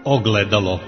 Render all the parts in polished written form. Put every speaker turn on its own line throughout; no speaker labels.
Ogledalo.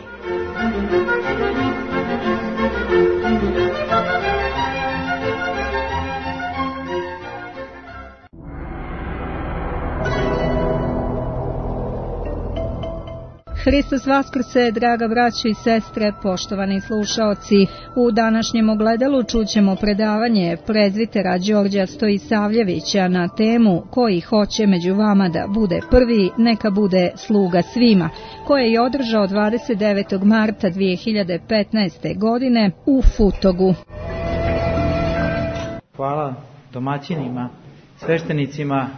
Hristos vaskrse, draga braćo i sestre, poštovani slušaoci. U današnjem ogledalu čućemo predavanje prezbitera Đorđa Stojisavljevića na temu koji hoće među vama da bude prvi, neka bude sluga svima, koje je održao 29. marta 2015. godine u Futogu.
Hvala domaćinima, sveštenicima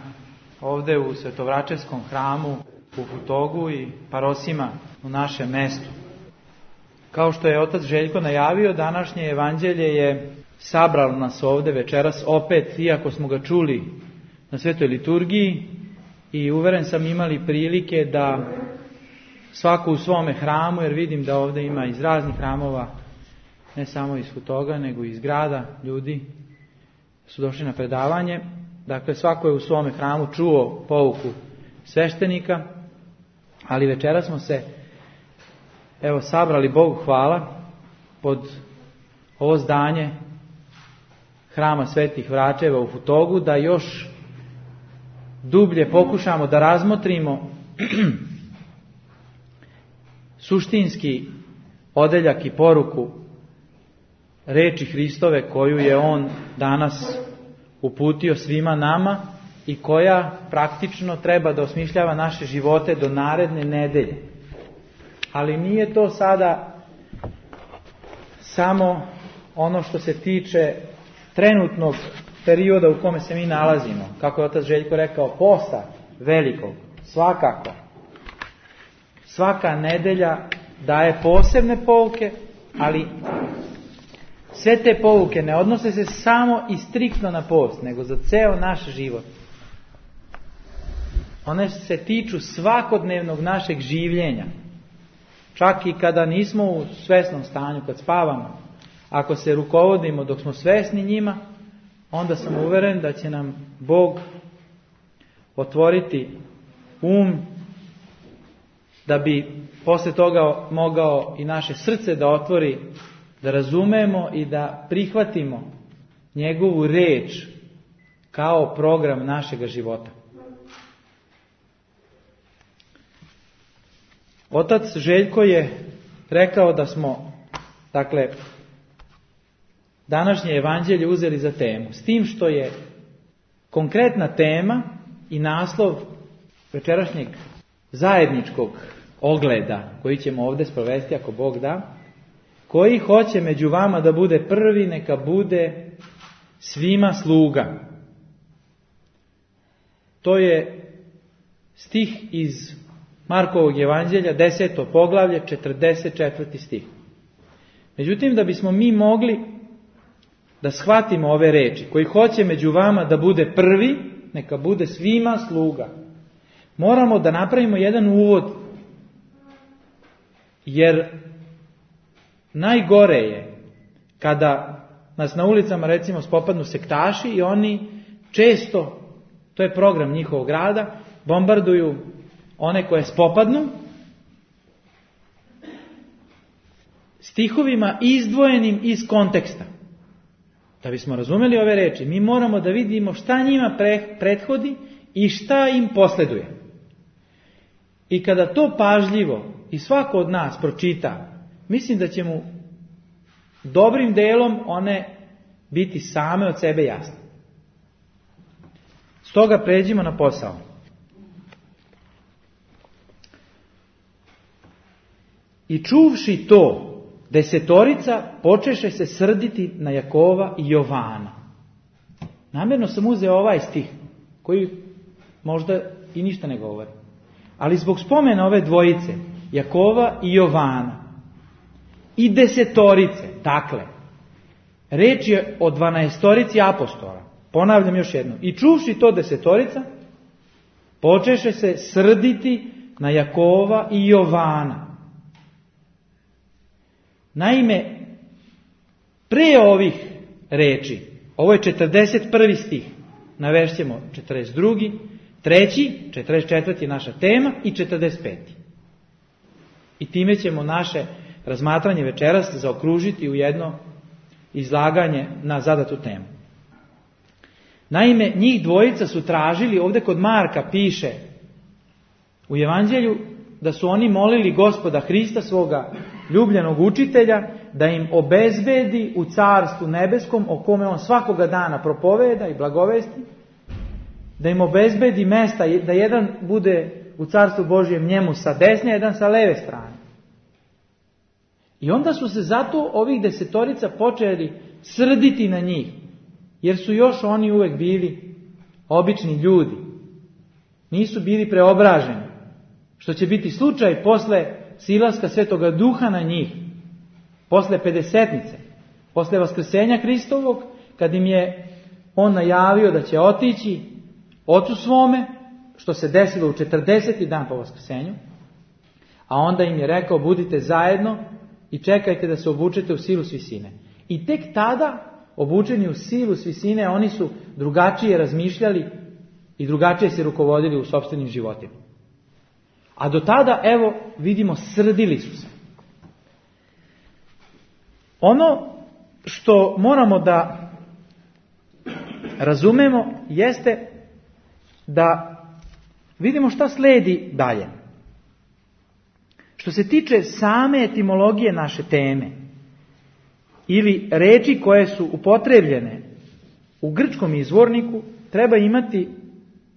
ovde u Svetovračevskom hramu u Futogu i parosima u našem mestu. Kao što je otac Željko najavio, današnje evanđelje je sabralo nas ovde večeras opet, iako smo ga čuli na svetoj liturgiji i uveren sam imali prilike da svako u svome hramu, jer vidim da ovde ima iz raznih hramova, ne samo iz Futoga, nego i iz grada, ljudi su došli na predavanje. Dakle, svako je u svome hramu čuo pouku sveštenika, ali večera smo se sabrali, Bogu hvala, pod ovo zdanje hrama Svetih Vračeva u Futogu, da još dublje pokušamo da razmotrimo suštinski odeljak i poruku reči Hristove koju je On danas uputio svima nama i koja praktično treba da osmišljava naše živote do naredne nedelje. Ali nije to sada samo ono što se tiče trenutnog perioda u kome se mi nalazimo. Kako je otac Željko rekao, posta velikog, svakako. Svaka nedelja daje posebne pouke, ali sve te pouke ne odnose se samo i striktno na post, nego za ceo naš život. One se tiču svakodnevnog našeg življenja. Čak i kada nismo u svesnom stanju, kad spavamo. Ako se rukovodimo dok smo svesni njima, onda sam uveren da će nam Bog otvoriti da bi posle toga mogao i naše srce da otvori, da razumemo i da prihvatimo njegovu reč kao program našega života. Otac Željko je rekao da smo, današnje evanđelje uzeli za temu, s tim što je konkretna tema i naslov večerašnjeg zajedničkog ogleda, koji ćemo ovdje sprovesti ako Bog da, koji hoće među vama da bude prvi, neka bude svima sluga. To je stih iz Markovog evanđelja, 10. poglavlje, 44. stih. Međutim, da bismo mi mogli da shvatimo ove reči, koji hoće među vama da bude prvi, neka bude svima sluga, moramo da napravimo jedan uvod, jer najgore je kada nas na ulicama recimo spopadnu sektaši i oni često, to je program njihovog rada, bombarduju one koje spopadnu stihovima izdvojenim iz konteksta. Da bismo razumeli ove reči, mi moramo da vidimo šta njima prethodi i šta im posleduje. I kada to pažljivo i svako od nas pročita, mislim da će mu dobrim delom one biti same od sebe jasne. Stoga pređimo na posao. I čuvši to, 10 počeše se srditi na Jakova i Jovana. Namjerno sam uzeo ovaj stih, koji možda i ništa ne govori. Ali zbog spomena ove dvojice, Jakova i Jovana, i 10, dakle, reč je o 12 apostola. Ponavljam još jednom. I čuvši to 10, počeše se srditi na Jakova i Jovana. Naime, pre ovih reči, ovo je 41. stih, navešćemo 42., 3., 44. naša tema i 45. I time ćemo naše razmatranje večeras zaokružiti u jedno izlaganje na zadatu temu. Naime, njih dvojica su tražili, ovdje kod Marka piše u Evanđelju, da su oni molili Gospoda Hrista, svoga ljubljenog učitelja, da im obezbedi u Carstvu nebeskom, o kome on svakoga dana propoveda i blagovesti, da im obezbedi mesta, da jedan bude u Carstvu Božjem njemu sa desne, jedan sa leve strane. I onda su se zato ovih 10 počeli srditi na njih, jer su još oni uvek bili obični ljudi. Nisu bili preobraženi, što će biti slučaj posle silaska Svetoga Duha na njih, posle Pedesetnice, posle Vaskrsenja Hristovog, kad im je on najavio da će otići Ocu svome, što se desilo u 40. dan po Vaskrsenju, a onda im je rekao: budite zajedno i čekajte da se obučete u silu s visine. I tek tada, obučeni u silu s visine, oni su drugačije razmišljali i drugačije se rukovodili u sopstvenim životima. A do tada, evo, vidimo, srdili su se. Ono što moramo da razumemo jeste da vidimo šta sledi dalje. Što se tiče same etimologije naše teme ili reči koje su upotrebljene u grčkom izvorniku, treba imati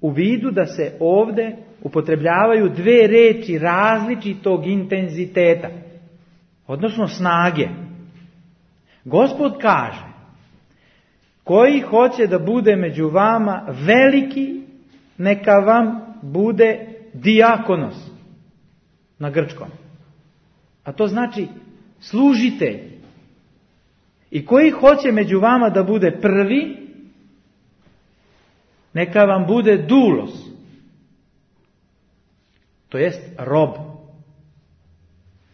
u vidu da se ovdje upotrebljavaju dve reči različitog intenziteta, odnosno snage. Gospod kaže: koji hoće da bude među vama veliki, neka vam bude dijakonos na grčkom. A to znači služitelj. I koji hoće među vama da bude prvi, neka vam bude doulos, to jest rob.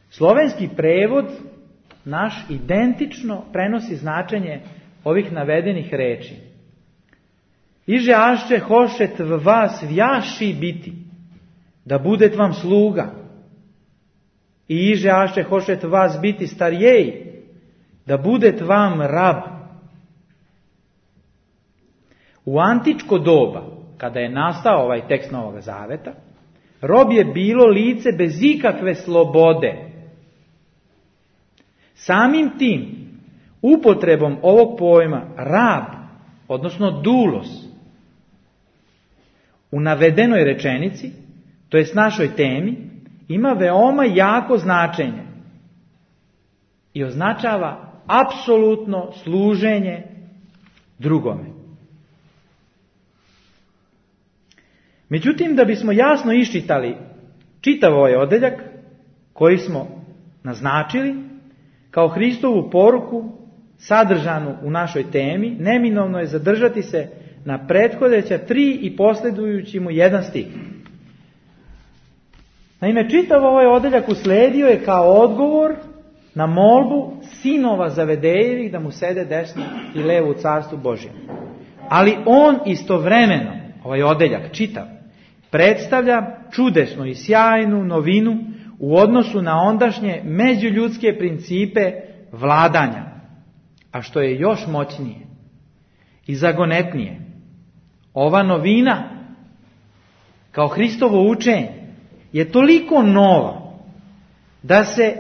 Slovenski prevod naš identično prenosi značenje ovih navedenih reči. Iže ašće hošet v vas vjaši biti, da budet vam sluga. I iže ašće hošet vas biti starjeji, da budet vam rab. U antičko doba, kada je nastao ovaj tekst Novog Zaveta, rob je bilo lice bez ikakve slobode. Samim tim, upotrebom ovog pojma rab, odnosno doulos, u navedenoj rečenici, to jest našoj temi, ima veoma jako značenje i označava apsolutno služenje drugome. Međutim, da bismo jasno iščitali čitav ovaj odeljak koji smo naznačili kao Hristovu poruku sadržanu u našoj temi, neminovno je zadržati se na prethodeća 3 i posledujući mu 1 stih. Naime, čitav ovaj odeljak usledio je kao odgovor na molbu sinova Zavedejevih da mu sede desno i levo u Carstvu Božjem. Ali on istovremeno, ovaj odeljak čitav, predstavlja čudesnu i sjajnu novinu u odnosu na ondašnje međuljudske principe vladanja, a što je još moćnije i zagonetnije. Ova novina, kao Hristovo učenje, je toliko nova da se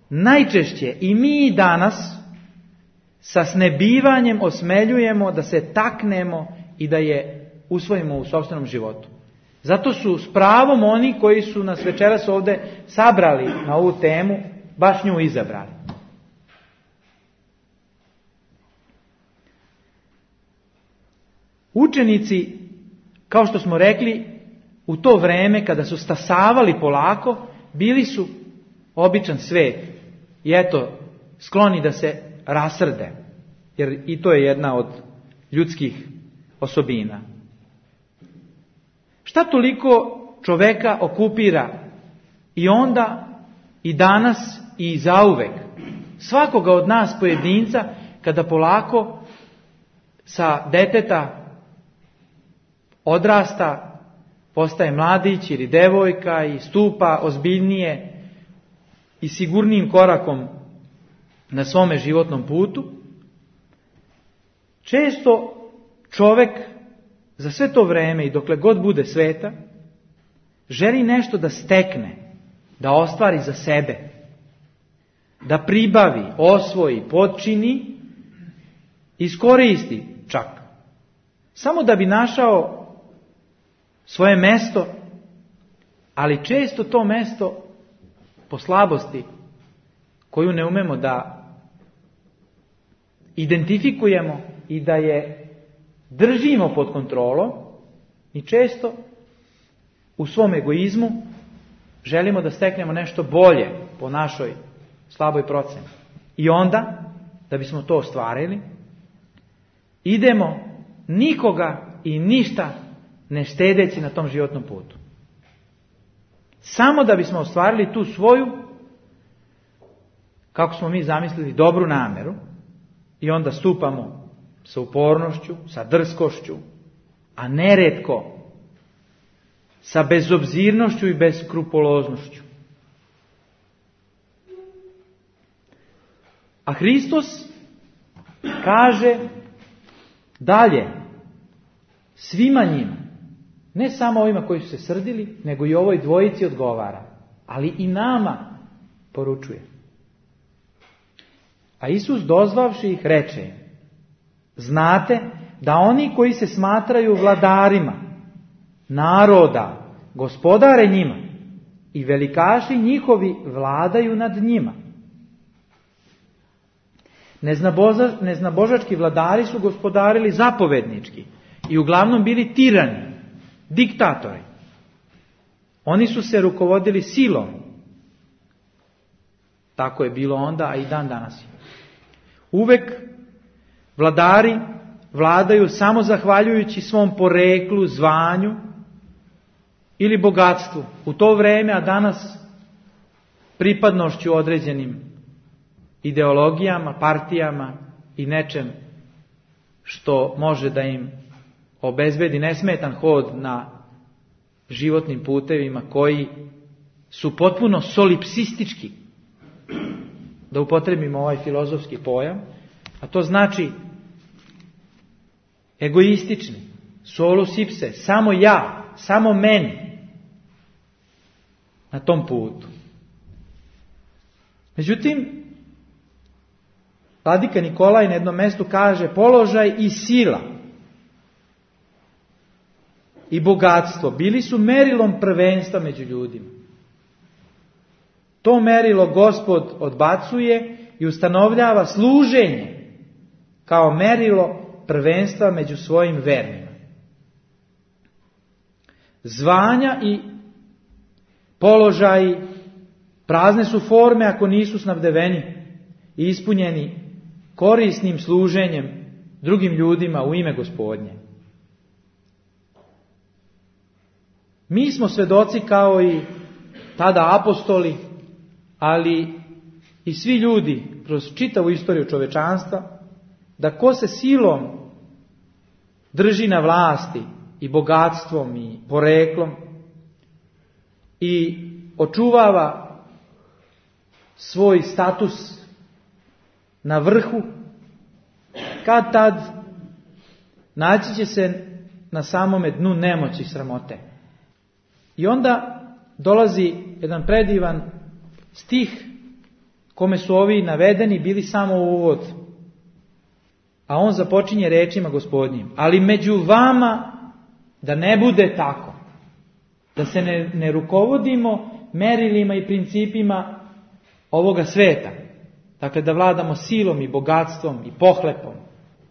najčešće i mi danas sa snebivanjem osmeljujemo da se taknemo i da je usvojimo u sopstvenom životu. Zato su s pravom oni koji su nas večeras ovdje sabrali na ovu temu, baš nju izabrali. Učenici, kao što smo rekli, u to vreme kada su stasavali polako, bili su običan svet. I eto, skloni da se rasrde, jer i to je jedna od ljudskih osobina. Šta toliko čoveka okupira i onda, i danas, i zauvek, svakoga od nas pojedinca, kada polako sa deteta odrasta, postaje mladić ili devojka i stupa ozbiljnije i sigurnijim korakom na svome životnom putu, često čovjek za sve to vreme i dokle god bude sveta želi nešto da stekne, da ostvari za sebe, da pribavi, osvoji, potčini, iskoristi čak, samo da bi našao svoje mesto, ali često to mesto po slabosti koju ne umemo da identifikujemo i da je držimo pod kontrolom, i često u svom egoizmu želimo da steknemo nešto bolje po našoj slaboj proceni. I onda, da bismo to ostvarili, idemo nikoga i ništa ne štedeći na tom životnom putu. Samo da bismo ostvarili tu svoju, kako smo mi zamislili, dobru nameru, i onda stupamo sa upornošću, sa drskošću, a neretko sa bezobzirnošću i beskrupuloznošću. A Hristos kaže dalje svima njima, ne samo ovima koji su se srdili, nego i ovoj dvojici odgovara, ali i nama poručuje. A Isus dozvavši ih reče: znate da oni koji se smatraju vladarima naroda gospodare njima i velikaši njihovi vladaju nad njima. Neznabožački vladari su gospodarili zapovednički i uglavnom bili tirani, diktatori. Oni su se rukovodili silom. Tako je bilo onda, a i dan danas. Uvek vladari vladaju samo zahvaljujući svom poreklu, zvanju ili bogatstvu. U to vrijeme, a danas pripadnošću određenim ideologijama, partijama i nečem što može da im obezbedi nesmetan hod na životnim putevima koji su potpuno solipsistički, da upotrebimo ovaj filozofski pojam, a to znači egoistični, solus ipse, samo ja, samo meni na tom putu. Međutim, vladika Nikolaj na jednom mjestu kaže: položaj i sila i bogatstvo bili su merilom prvenstva među ljudima. To merilo Gospod odbacuje i ustanovljava služenje kao merilo prvenstva među svojim vernima. Zvanja i položaji prazne su forme ako nisu snabdeveni i ispunjeni korisnim služenjem drugim ljudima u ime Gospodnje. Mi smo svedoci kao i tada apostoli, ali i svi ljudi kroz čitavu istoriju čovečanstva, da ko se silom drži na vlasti i bogatstvom i poreklom i očuvava svoj status na vrhu, kad tad naći će se na samome dnu nemoći i sramote. I onda dolazi jedan predivan stih kome su ovi navedeni bili samo uvod. A on započinje rečima Gospodnjim: ali među vama da ne bude tako. Da se ne rukovodimo merilima i principima ovoga sveta. Dakle, da vladamo silom i bogatstvom i pohlepom,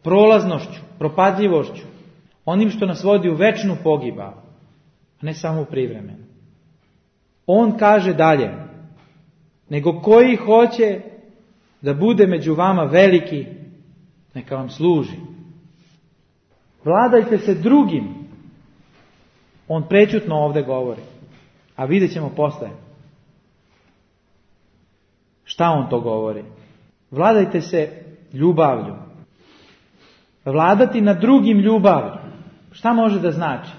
prolaznošću, propadljivošću, onim što nas vodi u večnu pogibao, a ne samo u privremenu. On kaže dalje: nego koji hoće da bude među vama veliki, neka vam služi. Vladajte se drugim. On prečutno ovdje govori, a vidjet ćemo posle šta on to govori. Vladajte se ljubavlju. Vladati nad drugim ljubavlju. Šta može da znači?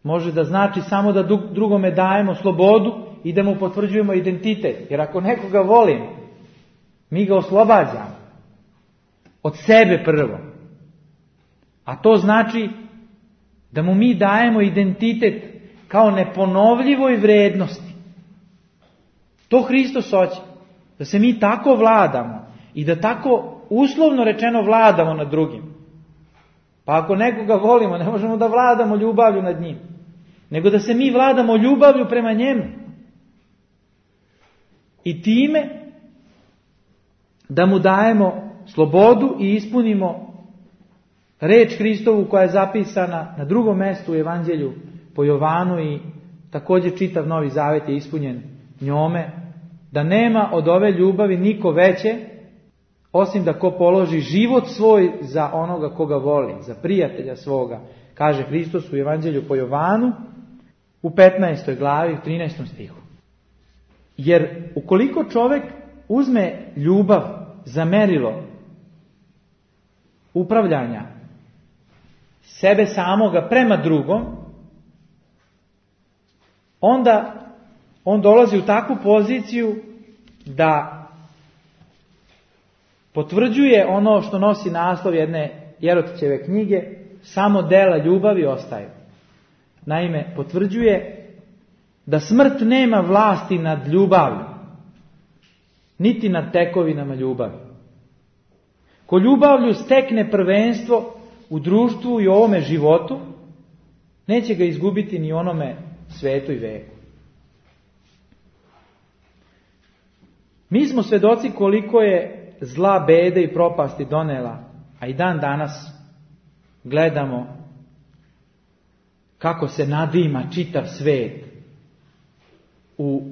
Može da znači samo da drugome dajemo slobodu i da mu potvrđujemo identitet. Jer ako nekoga volimo, mi ga oslobađamo od sebe prvo. A to znači da mu mi dajemo identitet kao neponovljivoj vrednosti. To Hristos hoće. Da se mi tako vladamo i da tako uslovno rečeno vladamo nad drugim. Pa ako nekoga volimo, ne možemo da vladamo ljubavlju nad njim, nego da se mi vladamo ljubavlju prema njemu. I time da mu dajemo slobodu i ispunimo reč Hristovu koja je zapisana na drugom mjestu u Evanđelju po Jovanu i također čitav Novi Zavet je ispunjen njome, da nema od ove ljubavi niko veće osim da ko položi život svoj za onoga koga voli, za prijatelja svoga, kaže Hristos u Evanđelju po Jovanu u 15. glavi, u 13. stihu. Jer ukoliko čovjek uzme ljubav za merilo upravljanja sebe samoga prema drugom, onda on dolazi u takvu poziciju da potvrđuje ono što nosi naslov jedne Jerotićeve knjige, samo dela ljubavi ostaju. Naime, potvrđuje da smrt nema vlasti nad ljubavlju, niti nad tekovinama ljubavi. Ko ljubavlju stekne prvenstvo u društvu i ovome životu, neće ga izgubiti ni onome svetu i veku. Mi smo svedoci koliko je zla, bede i propasti donela, a i dan danas gledamo kako se nadima čitav svet u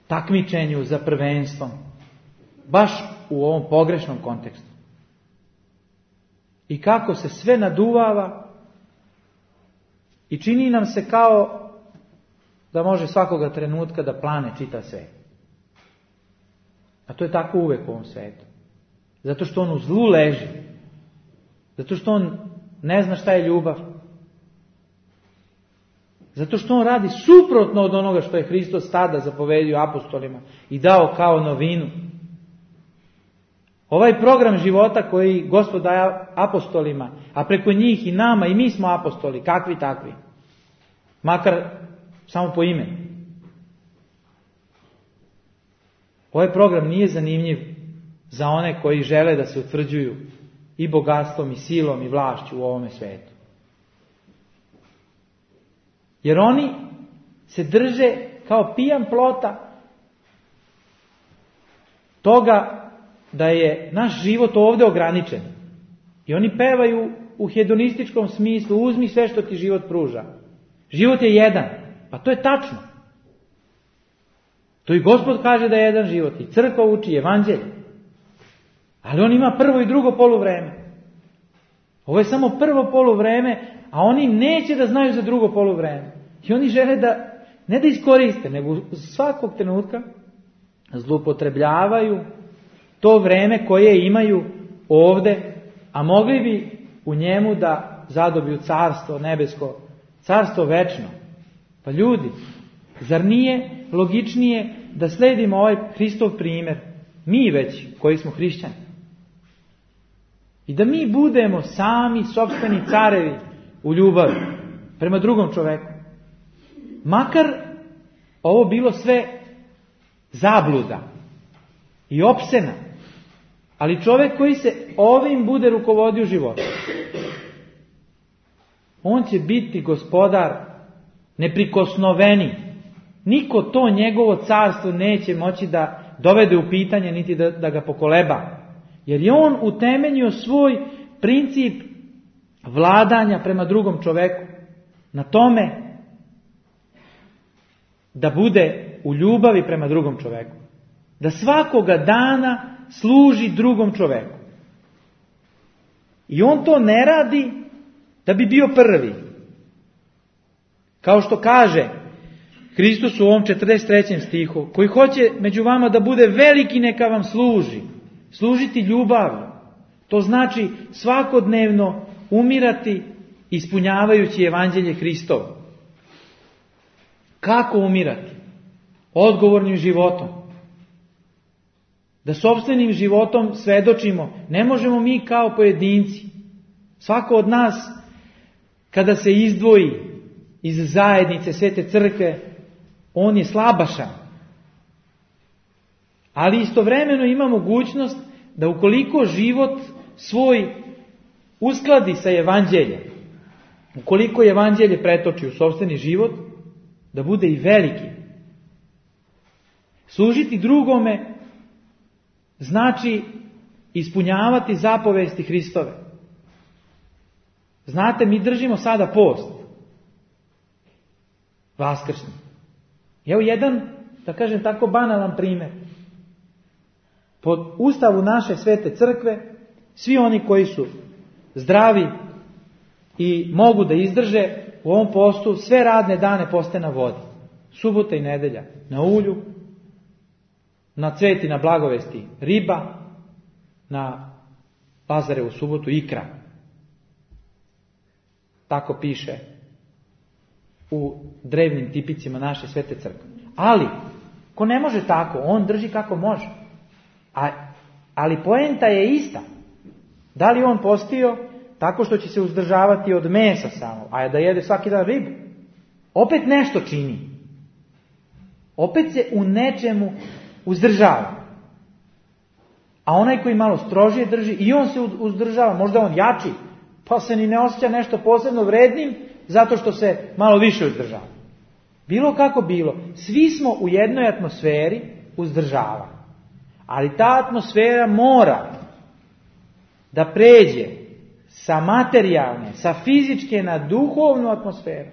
takmičenju za prvenstvom, baš u ovom pogrešnom kontekstu. I kako se sve naduvava i čini nam se kao da može svakoga trenutka da plane čitav svet. A to je tako uvek u ovom svijetu. Zato što on u zlu leži. Zato što on ne zna šta je ljubav. Zato što on radi suprotno od onoga što je Hristos tada zapovedio apostolima i dao kao novinu. Ovaj program života koji Gospod daje apostolima, a preko njih i nama, i mi smo apostoli, kakvi takvi. Makar samo po imenu. Ovaj program nije zanimljiv za one koji žele da se utvrđuju i bogatstvom, i silom, i vlašću u ovome svijetu. Jer oni se drže kao pijan plota toga da je naš život ovdje ograničen. I oni pevaju u hedonističkom smislu, uzmi sve što ti život pruža. Život je jedan. Pa to je tačno. To i Gospod kaže da je jedan život. I crkva uči Evanđelje. Ali on ima prvo i drugo poluvreme. Ovo je samo prvo poluvreme, a oni neće da znaju za drugo poluvreme. I oni žele da, ne da iskoriste, nego svakog trenutka zloupotrebljavaju to vreme koje imaju ovdje, a mogli bi u njemu da zadobiju carstvo nebesko, carstvo večno. Pa ljudi, zar nije logičnije da sledimo ovaj Hristov primjer, mi već koji smo hrišćani, i da mi budemo sami sopstveni carevi u ljubavi prema drugom čoveku. Makar ovo bilo sve zabluda i opsena, ali čovjek koji se ovim bude rukovodio životom, on će biti gospodar neprikosnoveni. Niko to njegovo carstvo neće moći da dovede u pitanje niti da ga pokoleba. Jer je on utemeljio svoj princip vladanja prema drugom čoveku na tome da bude u ljubavi prema drugom čoveku. Da svakoga dana služi drugom čoveku. I on to ne radi da bi bio prvi. Kao što kaže Hristos u ovom 43. stihu, koji hoće među vama da bude veliki, neka vam služi. Služiti ljubavno. To znači svakodnevno umirati ispunjavajući Evanđelje Hristovo. Kako umirati? odgovornim životom. Da sopstvenim životom svedočimo. Ne možemo mi kao pojedinci. Svako od nas, kada se izdvoji iz zajednice Svete Crkve, on je slabašan. Ali istovremeno ima mogućnost da ukoliko život svoj uskladi sa evanđeljem, ukoliko evanđelje pretoči u sopstveni život, da bude i veliki. Služiti drugome znači ispunjavati zapovesti Hristove. Znate, mi držimo sada post. Vaskršnji. Evo jedan, da kažem tako, banalan primjer. Po ustavu naše Svete Crkve, svi oni koji su zdravi i mogu da izdrže u ovom postu, sve radne dane poste na vodi. Subota i nedelja na ulju, na cveti, na blagovesti riba, na Lazarevu subotu ikra. Tako piše u drevnim tipicima naše Svete Crkve. Ali, ko ne može tako, on drži kako može. Ali poenta je ista. Da li on postio tako što će se uzdržavati od mesa samo, a da jede svaki dan ribu? Opet nešto čini. Opet se u nečemu uzdržava. A onaj koji malo strožije drži, i on se uzdržava, možda on jači, pa se ni ne osjeća nešto posebno vrednim, zato što se malo više uzdržava. Bilo kako bilo, svi smo u jednoj atmosferi uzdržavanja. Ali ta atmosfera mora da pređe sa materijalne, sa fizičke na duhovnu atmosferu.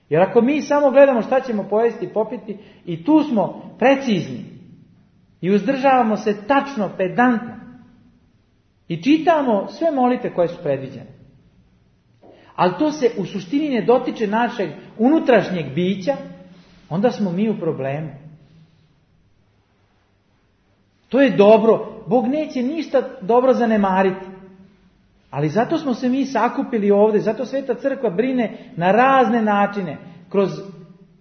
Jer ako mi samo gledamo šta ćemo pojesti i popiti, i tu smo precizni i uzdržavamo se tačno, pedantno, i čitamo sve molitve koje su predviđene, ali to se u suštini ne dotiče našeg unutrašnjeg bića, onda smo mi u problemu. To je dobro. Bog neće ništa dobro zanemariti. Ali zato smo se mi sakupili ovdje, zato Sveta Crkva brine na razne načine, kroz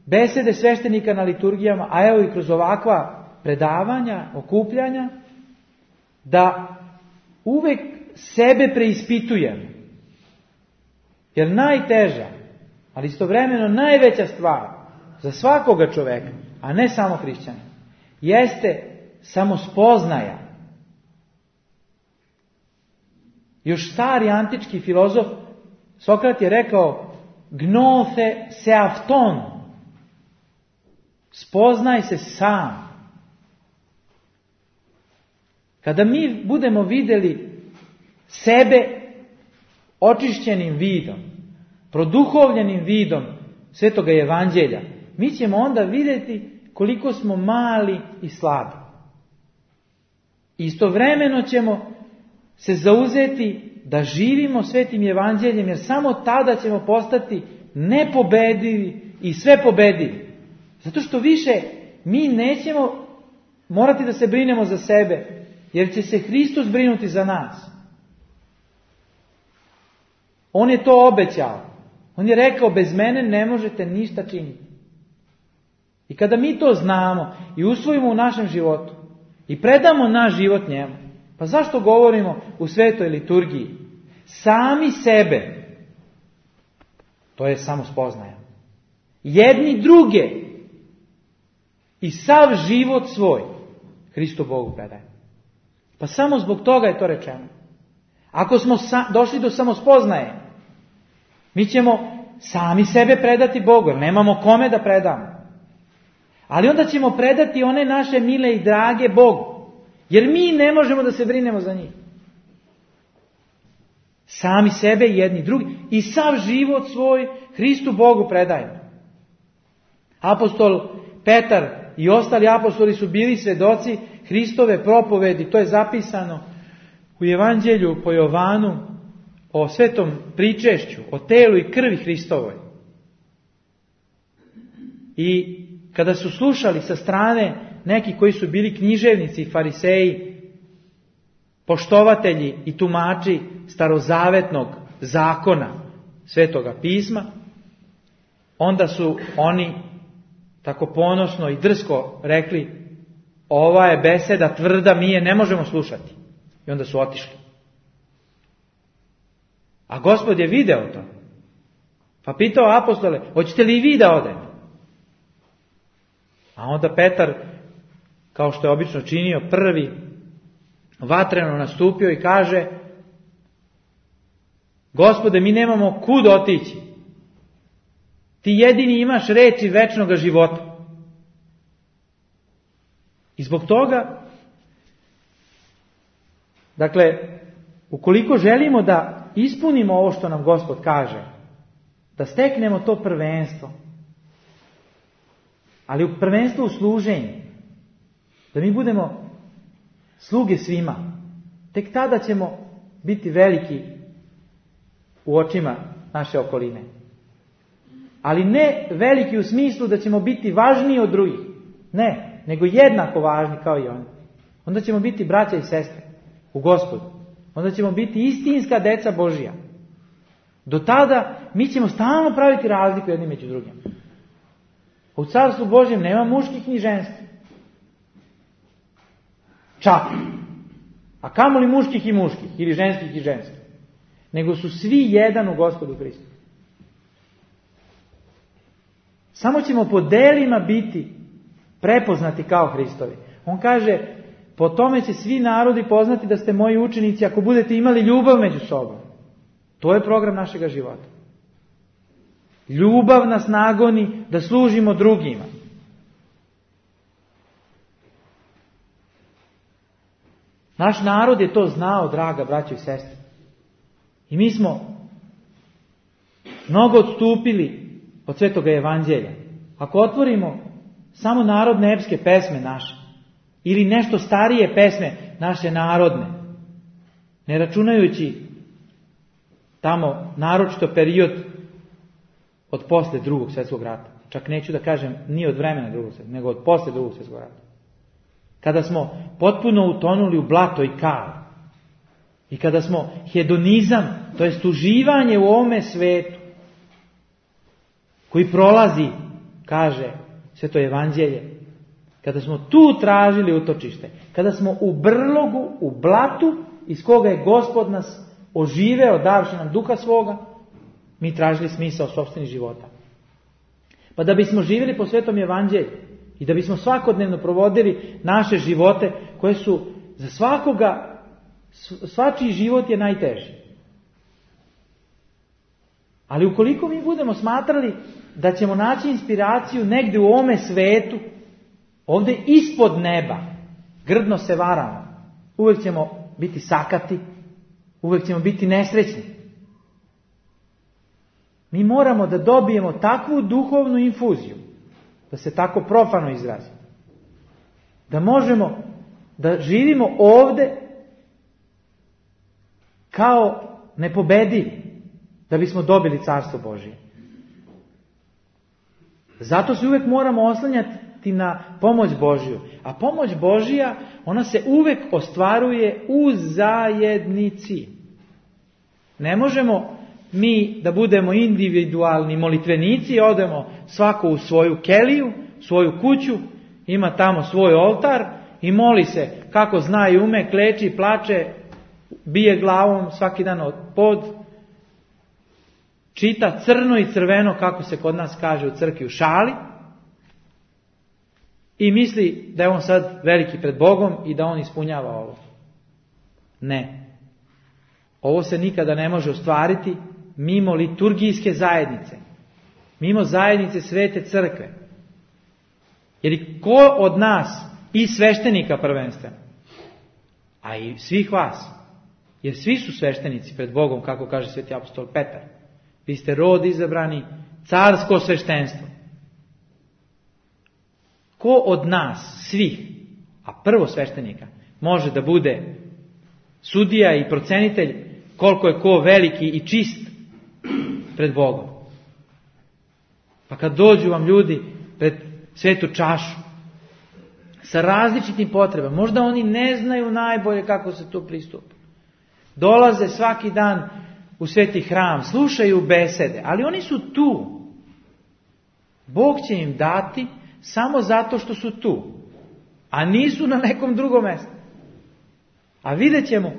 besede sveštenika na liturgijama, a evo i kroz ovakva predavanja, okupljanja, da uvek sebe preispitujemo. Jer najteža, ali istovremeno najveća stvar za svakoga čoveka, a ne samo hrišćana, jeste samospoznaja. Još stari antički filozof Sokrat je rekao: gnose se afton, spoznaj se sam. Kada mi budemo vidjeli sebe očišćenim vidom, produhovljenim vidom Svetoga Evanđelja, mi ćemo onda vidjeti koliko smo mali i slabi. Istovremeno ćemo se zauzeti da živimo Svetim Evanđeljem, jer samo tada ćemo postati nepobedivi i sve pobedivi. Zato što više mi nećemo morati da se brinemo za sebe, jer će se Hristos brinuti za nas. On je to obećao. On je rekao: bez mene ne možete ništa činiti. I kada mi to znamo i usvojimo u našem životu i predamo naš život njemu, pa zašto govorimo u svetoj liturgiji? Sami sebe, to je samospoznaja, jedni druge i sav život svoj Hristu Bogu predajemo. Pa samo zbog toga je to rečeno. Ako smo došli do samospoznaje, mi ćemo sami sebe predati Bogu, jer nemamo kome da predamo. Ali onda ćemo predati one naše mile i drage Bogu, jer mi ne možemo da se brinemo za njih. Sami sebe, jedni drugi, i sav život svoj Hristu Bogu predajemo. Apostol Petar i ostali apostoli su bili svedoci Hristove propovedi. To je zapisano u Evanđelju po Jovanu o svetom pričešću, o telu i krvi Hristovoj. I kada su slušali sa strane neki koji su bili književnici i fariseji, poštovatelji i tumači starozavetnog zakona Svetoga pisma, onda su oni tako ponosno i drsko rekli: ova je beseda tvrda, mi je ne možemo slušati. I onda su otišli. A Gospod je video to. Pa pitao apostole: hoćete li i vi da odete? A onda Petar, kao što je obično činio, prvi vatreno nastupio i kaže: Gospode, mi nemamo kud otići. Ti jedini imaš reči večnoga života. I zbog toga, dakle, ukoliko želimo da ispunimo ovo što nam Gospod kaže, da steknemo to prvenstvo, ali prvenstvo u služenju, da mi budemo sluge svima, tek tada ćemo biti veliki u očima naše okoline. Ali ne veliki u smislu da ćemo biti važniji od drugih. Ne, nego jednako važni kao i oni. Onda ćemo biti braća i sestre u Gospodu. Onda ćemo biti istinska deca Božija. Do tada mi ćemo stalno praviti razliku jedni među drugim. U Carstvu Božjem nema muških ni ženskih. Čak. A kamoli muških i muških, ili ženskih i ženskih. Nego su svi jedan u Gospodu Hristu. Samo ćemo po delima biti prepoznati kao Hristovi. On kaže: po tome će svi narodi poznati da ste moji učenici ako budete imali ljubav među sobom. To je program našega života. Ljubav nas nagoni da služimo drugima. Naš narod je to znao, draga braćo i sestre. I mi smo mnogo odstupili od Svetoga Evanđelja. Ako otvorimo samo narodne epske pesme naše, ili nešto starije pesme naše narodne, ne računajući tamo naročito period od posle Drugog svjetskog rata. Čak neću da kažem ni od vremena Drugog svjetskog, nego od posle Drugog svjetskog rata. Kada smo potpuno utonuli u blato i kal. I kada smo hedonizam, to jest uživanje u ovome svetu, koji prolazi, kaže Sveto Evanđelje, kada smo tu tražili utočište, kada smo u brlogu, u blatu, iz koga je Gospod nas oživeo, davši nam duha svoga, mi tražili smisao sopstvenih života. Pa da bismo živjeli po Svetom Evanđelju i da bismo svakodnevno provodili naše živote koje su za svakoga, svačiji život je najteži. Ali ukoliko mi budemo smatrali da ćemo naći inspiraciju negdje u ovome svetu, ovdje ispod neba, grdno se varamo. Uvijek ćemo biti sakati, uvijek ćemo biti nesrećni. Mi moramo da dobijemo takvu duhovnu infuziju, da se tako profano izrazimo, da možemo da živimo ovdje kao nepobedivi, da bismo dobili Carstvo Božije. Zato se uvijek moramo oslanjati na pomoć Božju. A pomoć Božja, ona se uvijek ostvaruje u zajednici. Ne možemo mi da budemo individualni molitvenici, odemo svako u svoju keliju, svoju kuću, ima tamo svoj oltar i moli se kako zna i ume, kleči, plače, bije glavom svaki dan od pod, čita crno i crveno, kako se kod nas kaže u crkvi, u šali, i misli da je on sad veliki pred Bogom i da on ispunjava ovo. Ne. Ovo se nikada ne može ostvariti mimo liturgijske zajednice, mimo zajednice Svete Crkve. Jer ko od nas, i sveštenika prvenstveno, a i svih vas, jer svi su sveštenici pred Bogom, kako kaže sveti apostol Petar, vi ste rod izabrani, carsko sveštenstvo. Ko od nas, svih, a prvo sveštenika, može da bude sudija i procenitelj koliko je ko veliki i čist pred Bogom? Pa kad dođu vam ljudi pred svetu čašu sa različitim potrebama, možda oni ne znaju najbolje kako se tu pristupa. Dolaze svaki dan u sveti hram, slušaju besede, ali oni su tu. Bog će im dati samo zato što su tu, a nisu na nekom drugom mjestu. A vidjet ćemo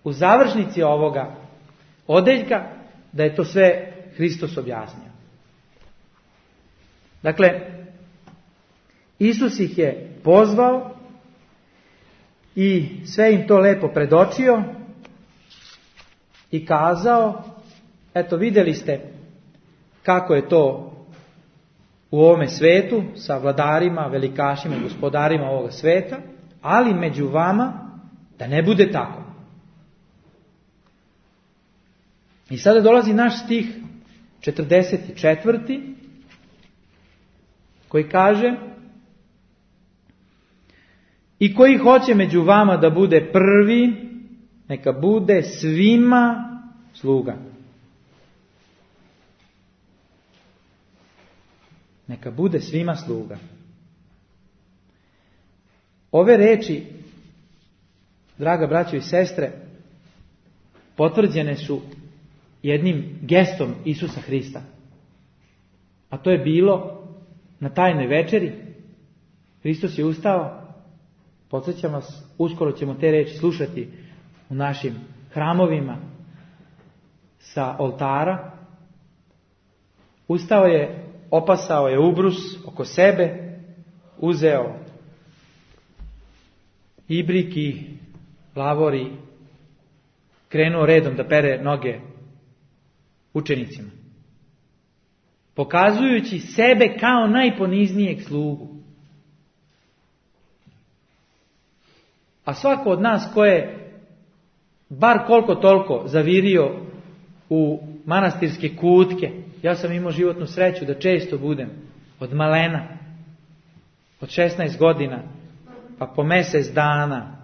u završnici ovoga odeljka da je to sve Hristos objasnio. Dakle, Isus ih je pozvao i sve im to lepo predočio i kazao, eto vidjeli ste kako je to u ovome svetu sa vladarima, velikašima i gospodarima ovoga sveta, ali među vama da ne bude tako. I sada dolazi naš stih 44. koji kaže: i koji hoće među vama da bude prvi, neka bude svima sluga. Neka bude svima sluga. Ove reči, draga braćo i sestre, potvrđene su jednim gestom Isusa Hrista. A to je bilo na tajnoj večeri. Hristos je ustao. Podsjećam vas, uskoro ćemo te reči slušati u našim hramovima sa oltara. Ustao je, opasao je ubrus oko sebe, uzeo ibrik i lavor i krenuo redom da pere noge učenicima, pokazujući sebe kao najponiznijeg slugu. A svako od nas ko je bar koliko toliko zavirio u manastirske kutke, ja sam imao životnu sreću da često budem od malena, od 16 godina, pa po mjesec dana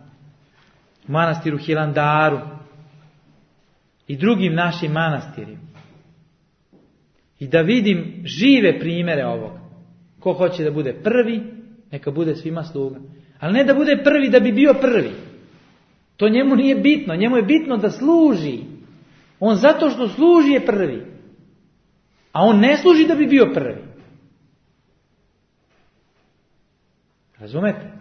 u manastiru Hilandaru i drugim našim manastirima. I da vidim žive primjere ovoga. Ko hoće da bude prvi, neka bude svima sluga. Ali ne da bude prvi da bi bio prvi. To njemu nije bitno. Njemu je bitno da služi. On zato što služi je prvi. A on ne služi da bi bio prvi. Razumete?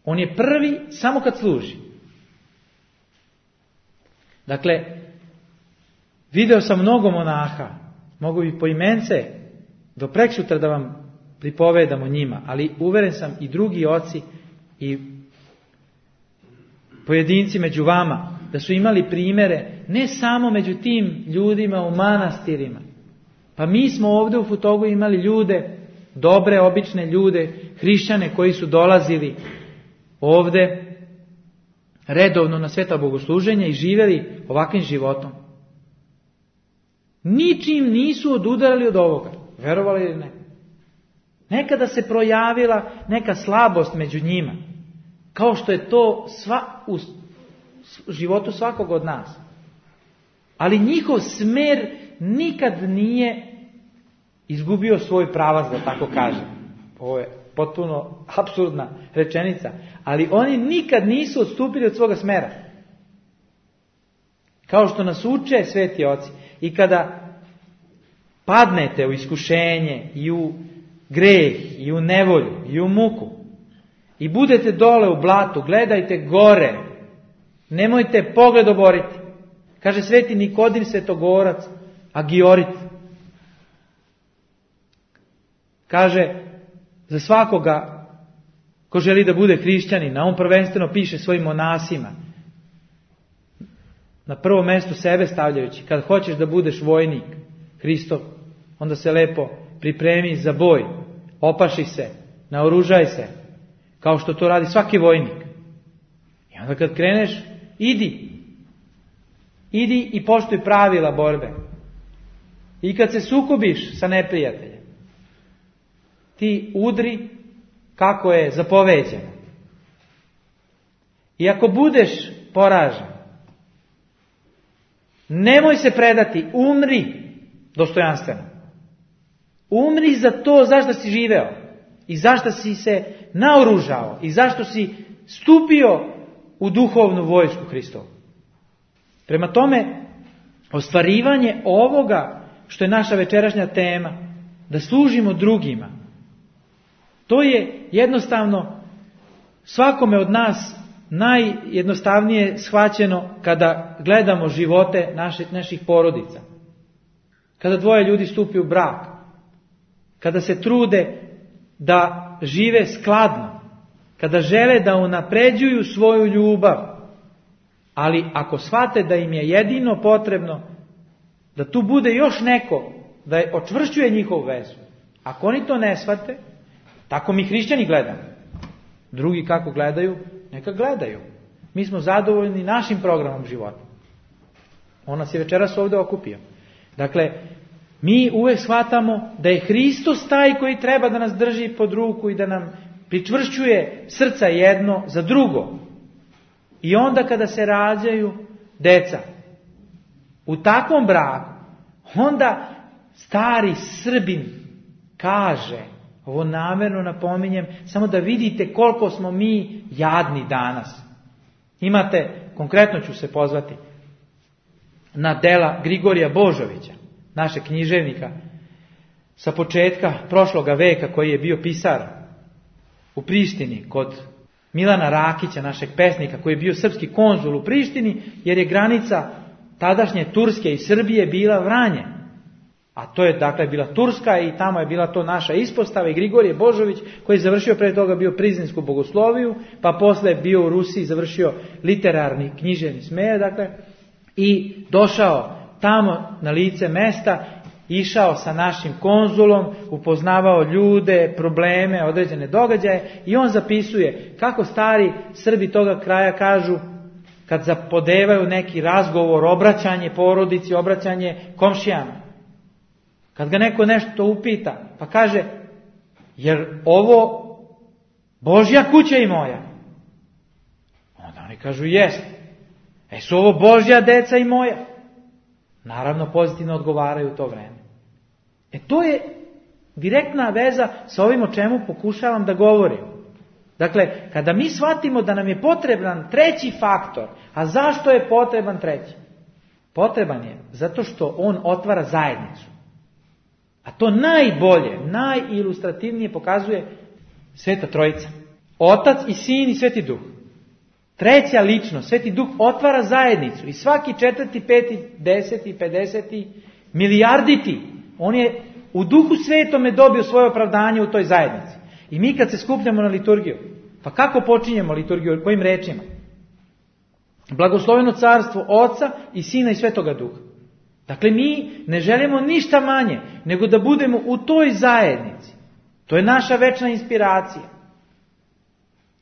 On je prvi samo kad služi. Dakle, video sam mnogo monaha. Mogu bi poimence do preksutra da vam pripovedam o njima, ali uveren sam i drugi oci i pojedinci među vama da su imali primjere ne samo među tim ljudima u manastirima. Pa mi smo ovdje u Futogu imali ljude, dobre, obične ljude, hrišćane koji su dolazili ovdje redovno na sveta bogosluženja i živjeli ovakvim životom. Ničim nisu odudarali od ovoga, verovali ili ne. Nekada se projavila neka slabost među njima, kao što je to u životu svakog od nas. Ali njihov smer nikad nije izgubio svoj pravac, da tako kažem. Ovo je potpuno apsurdna rečenica, ali oni nikad nisu odstupili od svoga smera. Kao što nas uče sveti oci. I kada padnete u iskušenje i u greh i u nevolju i u muku i budete dole u blatu, gledajte gore, nemojte pogled oboriti. Kaže sveti Nikodim Svetogorac, Agiorit. Kaže za svakoga ko želi da bude hrišćanin, a on prvenstveno piše svojim monasima, na prvo mjesto sebe stavljajući, kad hoćeš da budeš vojnik Hristov, onda se lepo pripremi za boj, opaši se, naoružaj se, kao što to radi svaki vojnik. I onda kad kreneš, idi i poštuj pravila borbe. I kad se sukobiš sa neprijateljem, ti udri kako je zapoveđeno. I ako budeš poražen, nemoj se predati, umri dostojanstveno. Umri za to zašto si živeo i zašto si se naoružao i zašto si stupio u duhovnu vojsku Hristovu. Prema tome, ostvarivanje ovoga što je naša večerašnja tema, da služimo drugima. To je jednostavno svakome od nas najjednostavnije shvaćeno kada gledamo živote naših porodica. Kada dvoje ljudi stupi u brak, kada se trude da žive skladno, kada žele da unapređuju svoju ljubav, ali ako shvate da im je jedino potrebno da tu bude još neko da je očvršćuje njihovu vezu. Ako oni to ne shvate, tako mi hrišćani gledamo. Drugi kako gledaju, neka gledaju. Mi smo zadovoljni našim programom života. On nas je večeras ovdje okupio. Dakle, mi uvek shvatamo da je Hristos taj koji treba da nas drži pod ruku i da nam pričvršćuje srca jedno za drugo. I onda kada se rađaju deca u takvom braku, onda stari Srbin kaže, ovo namjerno napominjem, samo da vidite koliko smo mi jadni danas. Imate, konkretno ću se pozvati na dela Grigorija Božovića, našeg književnika, sa početka prošloga veka, koji je bio pisar u Prištini kod Milana Rakića, našeg pesnika, koji je bio srpski konzul u Prištini, jer je granica tadašnje Turske i Srbije bila Vranje. A to je dakle bila Turska i tamo je bila to naša ispostava i Grigorije Božović, koji je završio pre toga bio Prizrensku bogosloviju, pa posle bio u Rusiji, završio literarni književni smer, dakle, i došao tamo na lice mesta, išao sa našim konzulom, upoznavao ljude, probleme, određene događaje i on zapisuje kako stari Srbi toga kraja kažu kad zapodevaju neki razgovor, obraćanje porodici, obraćanje komšijama. Kad ga neko nešto upita, pa kaže, jer ovo Božja kuća i moja? Onda oni kažu, jest. Su ovo Božja deca i moja? Naravno, pozitivno odgovaraju u to vreme. To je direktna veza sa ovim o čemu pokušavam da govorim. Dakle, kada mi shvatimo da nam je potreban treći faktor, a zašto je potreban treći? Potreban je zato što on otvara zajednicu. A to najbolje, najilustrativnije pokazuje Sveta Trojica. Otac i Sin i Sveti Duh. Treća ličnost, Sveti Duh, otvara zajednicu. I svaki 4., 5., 10., 50., milijarditi, on je u Duhu Svetome dobio svoje opravdanje u toj zajednici. I mi kad se skupljamo na liturgiju, pa kako počinjemo liturgiju, kojim rečima? Blagosloveno carstvo Oca i Sina i Svetoga Duha. Dakle, mi ne želimo ništa manje nego da budemo u toj zajednici. To je naša večna inspiracija.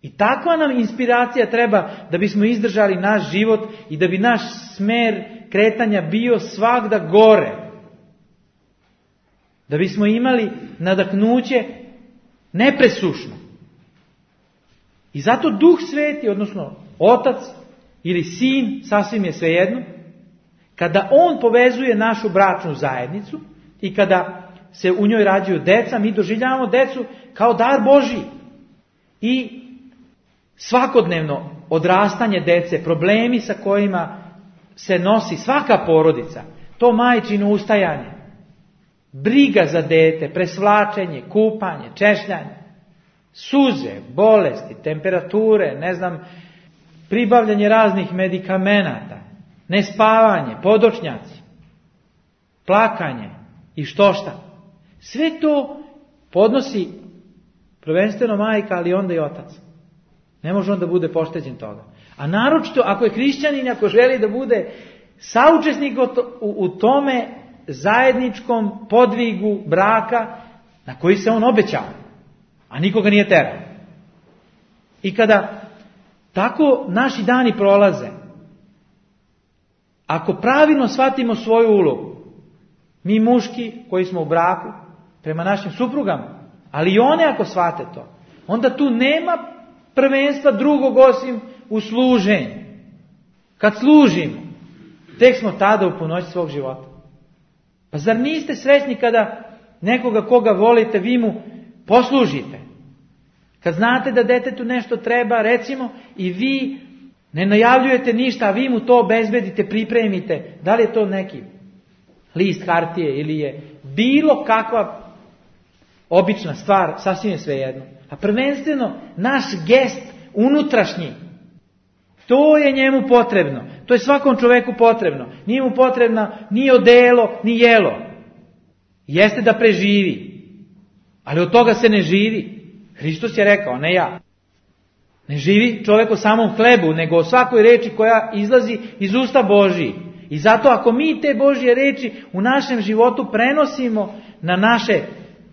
I takva nam inspiracija treba da bismo izdržali naš život i da bi naš smer kretanja bio svagda gore. Da bismo imali nadahnuće nepresušno. I zato Duh Sveti, odnosno Otac ili Sin, sasvim je svejedno, kada On povezuje našu bračnu zajednicu i kada se u njoj rađaju deca, mi doživljavamo decu kao dar Božji. I svakodnevno odrastanje dece, problemi sa kojima se nosi svaka porodica, to majčino ustajanje, briga za dete, presvlačenje, kupanje, češljanje, suze, bolesti, temperature, pribavljanje raznih medikamenata, nespavanje, podočnjaci, plakanje i što šta. Sve to podnosi prvenstveno majka, ali onda i otac. Ne može on da bude pošteđen toga. A naročito ako je hrišćanin, ako želi da bude saučesnik u tome zajedničkom podvigu braka na koji se on obećao, a nikoga nije terao. I kada tako naši dani prolaze, ako pravilno shvatimo svoju ulogu, mi muški koji smo u braku, prema našim suprugama, ali i one ako shvate to, onda tu nema prvenstva drugog osim u služenju. Kad služimo, tek smo tada u punoći svog života. Pa zar niste srećni kada nekoga koga volite, vi mu poslužite? Kad znate da detetu nešto treba, recimo, i vi ne najavljujete ništa, a vi mu to obezbedite, pripremite. Da li je to neki list hartije ili je bilo kakva obična stvar, sasvim je svejedno. A prvenstveno naš gest unutrašnji, to je njemu potrebno. To je svakom čoveku potrebno. Nije mu potrebno ni odelo, ni jelo. Jeste da preživi. Ali od toga se ne živi. Hristos je rekao, ne ja. Ne živi čovjek o samom hlebu, nego o svakoj reči koja izlazi iz usta Božiji. I zato ako mi te Božje reči u našem životu prenosimo na naše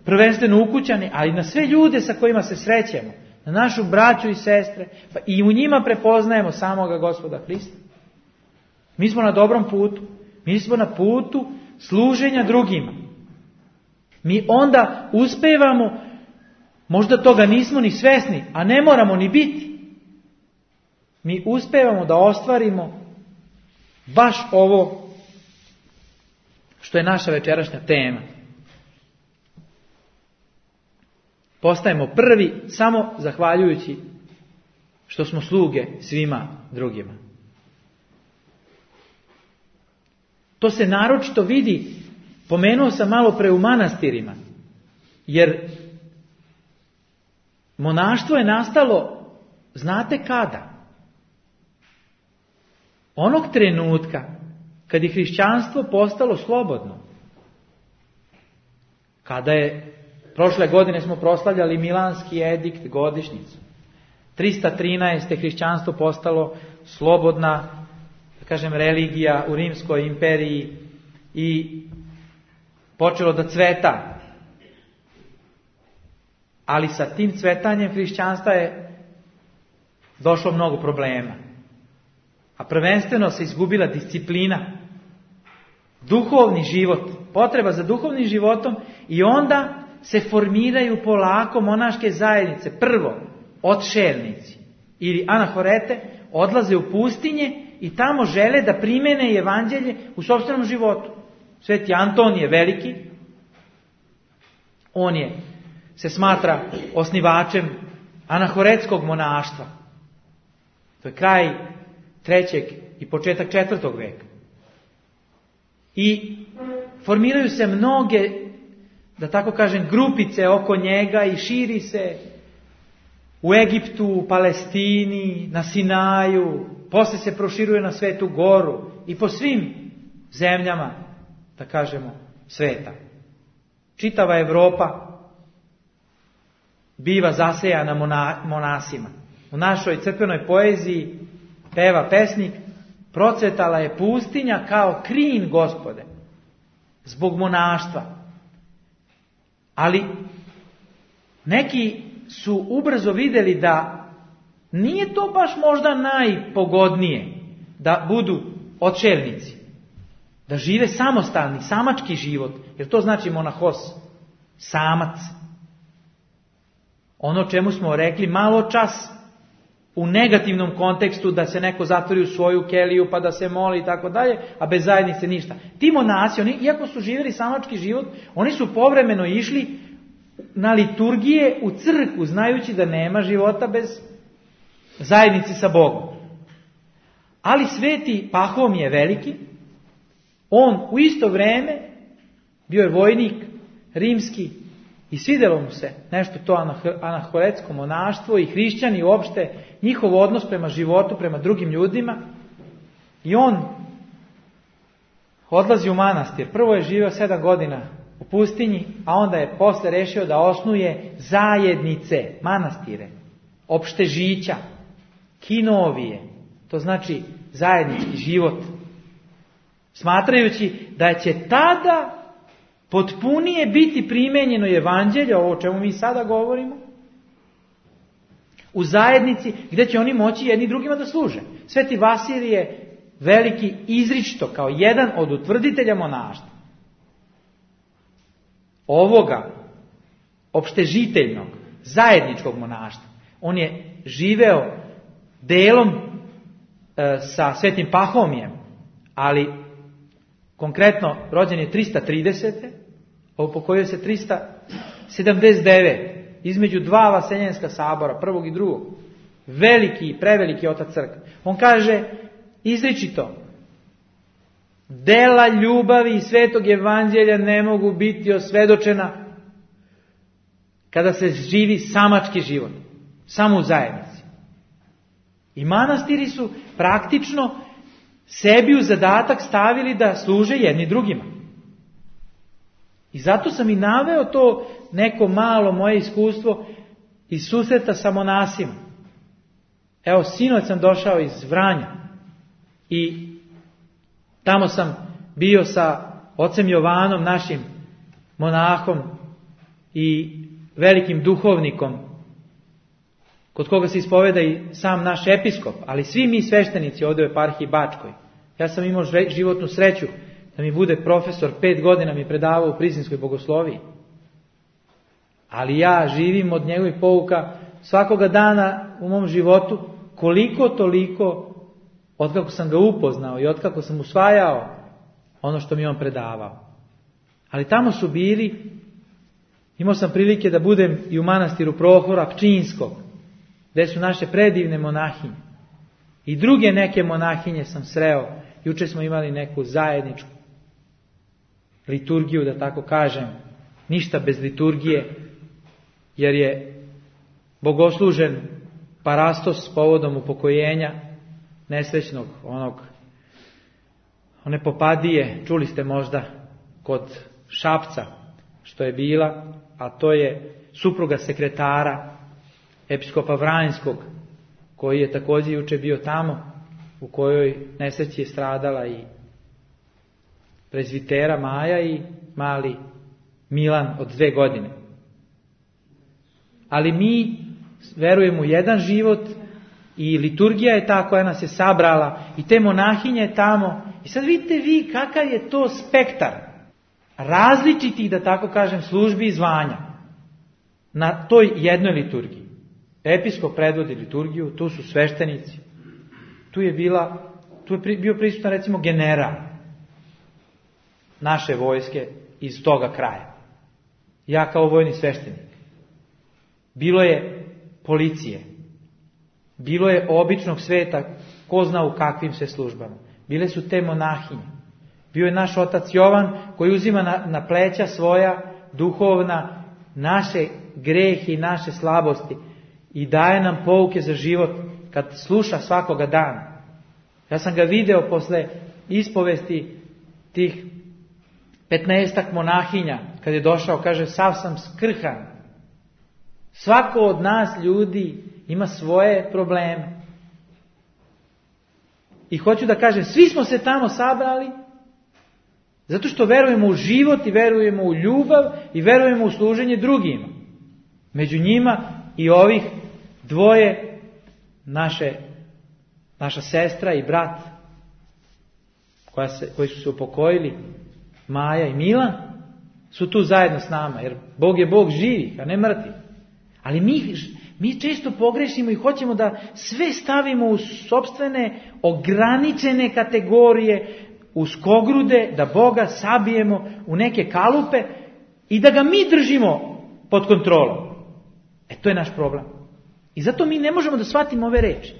prvenstveno ukućane, ali na sve ljude sa kojima se srećemo, na našu braću i sestre, pa i u njima prepoznajemo samoga Gospoda Hrista. Mi smo na dobrom putu. Mi smo na putu služenja drugima. Mi onda uspevamo, možda toga nismo ni svesni, a ne moramo ni biti. Mi uspevamo da ostvarimo baš ovo što je naša večerašnja tema. Postajemo prvi samo zahvaljujući što smo sluge svima drugima. To se naročito vidi, pomenuo sam malo pre u manastirima, jer monaštvo je nastalo, znate kada? Onog trenutka kad je hrišćanstvo postalo slobodno. Kada je, prošle godine smo proslavljali Milanski edikt godišnjicu. 313. hrišćanstvo postalo slobodna, da kažem, religija u Rimskoj imperiji i počelo da cveta. Ali sa tim cvetanjem hrišćanstva je došlo mnogo problema. A prvenstveno se izgubila disciplina, duhovni život, potreba za duhovnim životom, i onda se formiraju polako monaške zajednice. Prvo, odšelnici ili anahorete odlaze u pustinje i tamo žele da primene evanđelje u sopstvenom životu. Sveti Antonije Veliki, on se smatra osnivačem anahoretskog monaštva. To je kraj 3. i početak 4. veka. I formiraju se mnoge, da tako kažem, grupice oko njega i širi se u Egiptu, u Palestini, na Sinaju, posle se proširuje na Svetu Goru i po svim zemljama, da kažemo, sveta. Čitava Evropa biva zasejana monasima. U našoj crkvenoj poeziji peva pesnik: procvetala je pustinja kao krin Gospode, zbog monaštva. Ali neki su ubrzo vidjeli da nije to baš možda najpogodnije da budu odšelnici, da žive samostalni, samački život, jer to znači monahos, samac. Ono čemu smo rekli malo čas u negativnom kontekstu, da se neko zatvori u svoju keliju pa da se moli i tako dalje, a bez zajednice ništa. Ti monasi, oni, iako su živjeli samački život, oni su povremeno išli na liturgije u crkvu, znajući da nema života bez zajednice sa Bogom. Ali sveti Pahomije Veliki, on u isto vrijeme bio je vojnik rimski i svidjelo mu se nešto to anahoretsko monaštvo i hrišćani uopšte, njihov odnos prema životu, prema drugim ljudima, i on odlazi u manastir. Prvo je živio 7 godina u pustinji, a onda je posle rešio da osnuje zajednice, manastire, opštežića, kinovije, to znači zajednički život, smatrajući da će tada potpunije biti primenjeno evanđelje, ovo o čemu mi sada govorimo, u zajednici gdje će oni moći jedni drugima da služe. Sveti Vasilije Veliki izričito kao jedan od utvrditelja monaštva, ovoga opštežiteljnog, zajedničkog monaštva, on je živeo delom sa svetim Pahomijem, ali konkretno rođen je 330. Upokojio se 379. između 2 vaseljenska sabora, prvog i drugog. Veliki i preveliki otac crkve. On kaže izričito: Dela ljubavi i svetog evanđelja ne mogu biti osvedočena kada se živi samački život, samo u zajednici. I manastiri su praktično sebi u zadatak stavili da služe jedni drugima. I zato sam i naveo to neko malo moje iskustvo iz susreta sa monasima. Evo, sinoć sam došao iz Vranja i tamo sam bio sa ocem Jovanom, našim monahom i velikim duhovnikom, kod koga se ispoveda i sam naš episkop, ali svi mi sveštenici ovdje u eparhiji Bačkoj. Ja sam imao životnu sreću da mi bude profesor, 5 godina mi predavao u Prizinskoj bogosloviji. Ali ja živim od njegovih pouka svakoga dana u mom životu, koliko toliko, otkako sam ga upoznao i otkako sam usvajao ono što mi on predavao. Ali tamo su bili, imao sam prilike da budem i u manastiru Prohora Pčinskog, gdje su naše predivne monahinje. I druge neke monahinje sam sreo. Juče smo imali neku zajedničku liturgiju, da tako kažem. Ništa bez liturgije, jer je bogoslužen parastos povodom upokojenja nesrećnog one popadije, čuli ste možda kod Šapca što je bila, a to je supruga sekretara episkopa Vranjskog, koji je također juče bio tamo, u kojoj nesreći je stradala i prezvitera Maja i mali Milan od 2 godine. Ali mi verujemo u jedan život i liturgija je ta koja nas je sabrala i te monahinje je tamo. I sad vidite vi kakav je to spektar različitih, da tako kažem, službi i zvanja na toj jednoj liturgiji. Episkop predvodi liturgiju, tu su sveštenici, tu je bio prisutan recimo general naše vojske iz toga kraja. Ja kao vojni sveštenik. Bilo je policije, bilo je običnog sveta, ko zna u kakvim se službama. Bile su te monahinje. Bio je naš otac Jovan koji uzima na pleća svoja duhovna naše grehe i naše slabosti i daje nam pouke za život kad sluša svakoga dana. Ja sam ga video posle ispovesti tih 15-ak monahinja, kad je došao, kaže, sav sam skrhan. Svako od nas ljudi ima svoje probleme. I hoću da kažem, svi smo se tamo sabrali zato što verujemo u život i verujemo u ljubav i verujemo u služenje drugima. Među njima i ovih 2, naša sestra i brat koji su se upokojili, Maja i Milan, su tu zajedno s nama, jer Bog je Bog živih, a ne mrtvih. Ali mi često pogrešimo i hoćemo da sve stavimo u sopstvene ograničene kategorije, u skogrude, da Boga sabijemo u neke kalupe i da ga mi držimo pod kontrolom. To je naš problem. I zato mi ne možemo da shvatimo ove reči.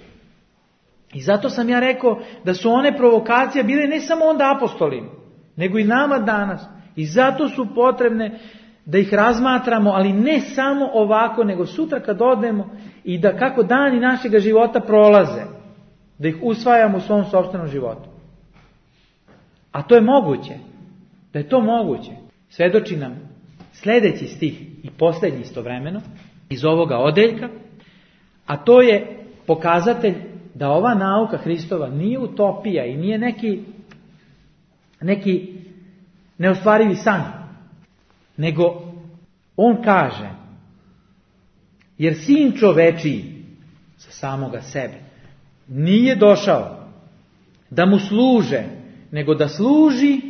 I zato sam ja rekao da su one provokacije bile ne samo onda apostolima, nego i nama danas. I zato su potrebne da ih razmatramo, ali ne samo ovako, nego sutra kad odemo i da kako dani našega života prolaze, da ih usvajamo u svom sopstvenom životu. A to je moguće. Da je to moguće, svedoči nam sljedeći stih i posljednji istovremeno iz ovoga odeljka, a to je pokazatelj da ova nauka Hristova nije utopija i nije neki neostvarivi san, nego on kaže, jer sin čovečiji sa samoga sebe nije došao da mu služe, nego da služi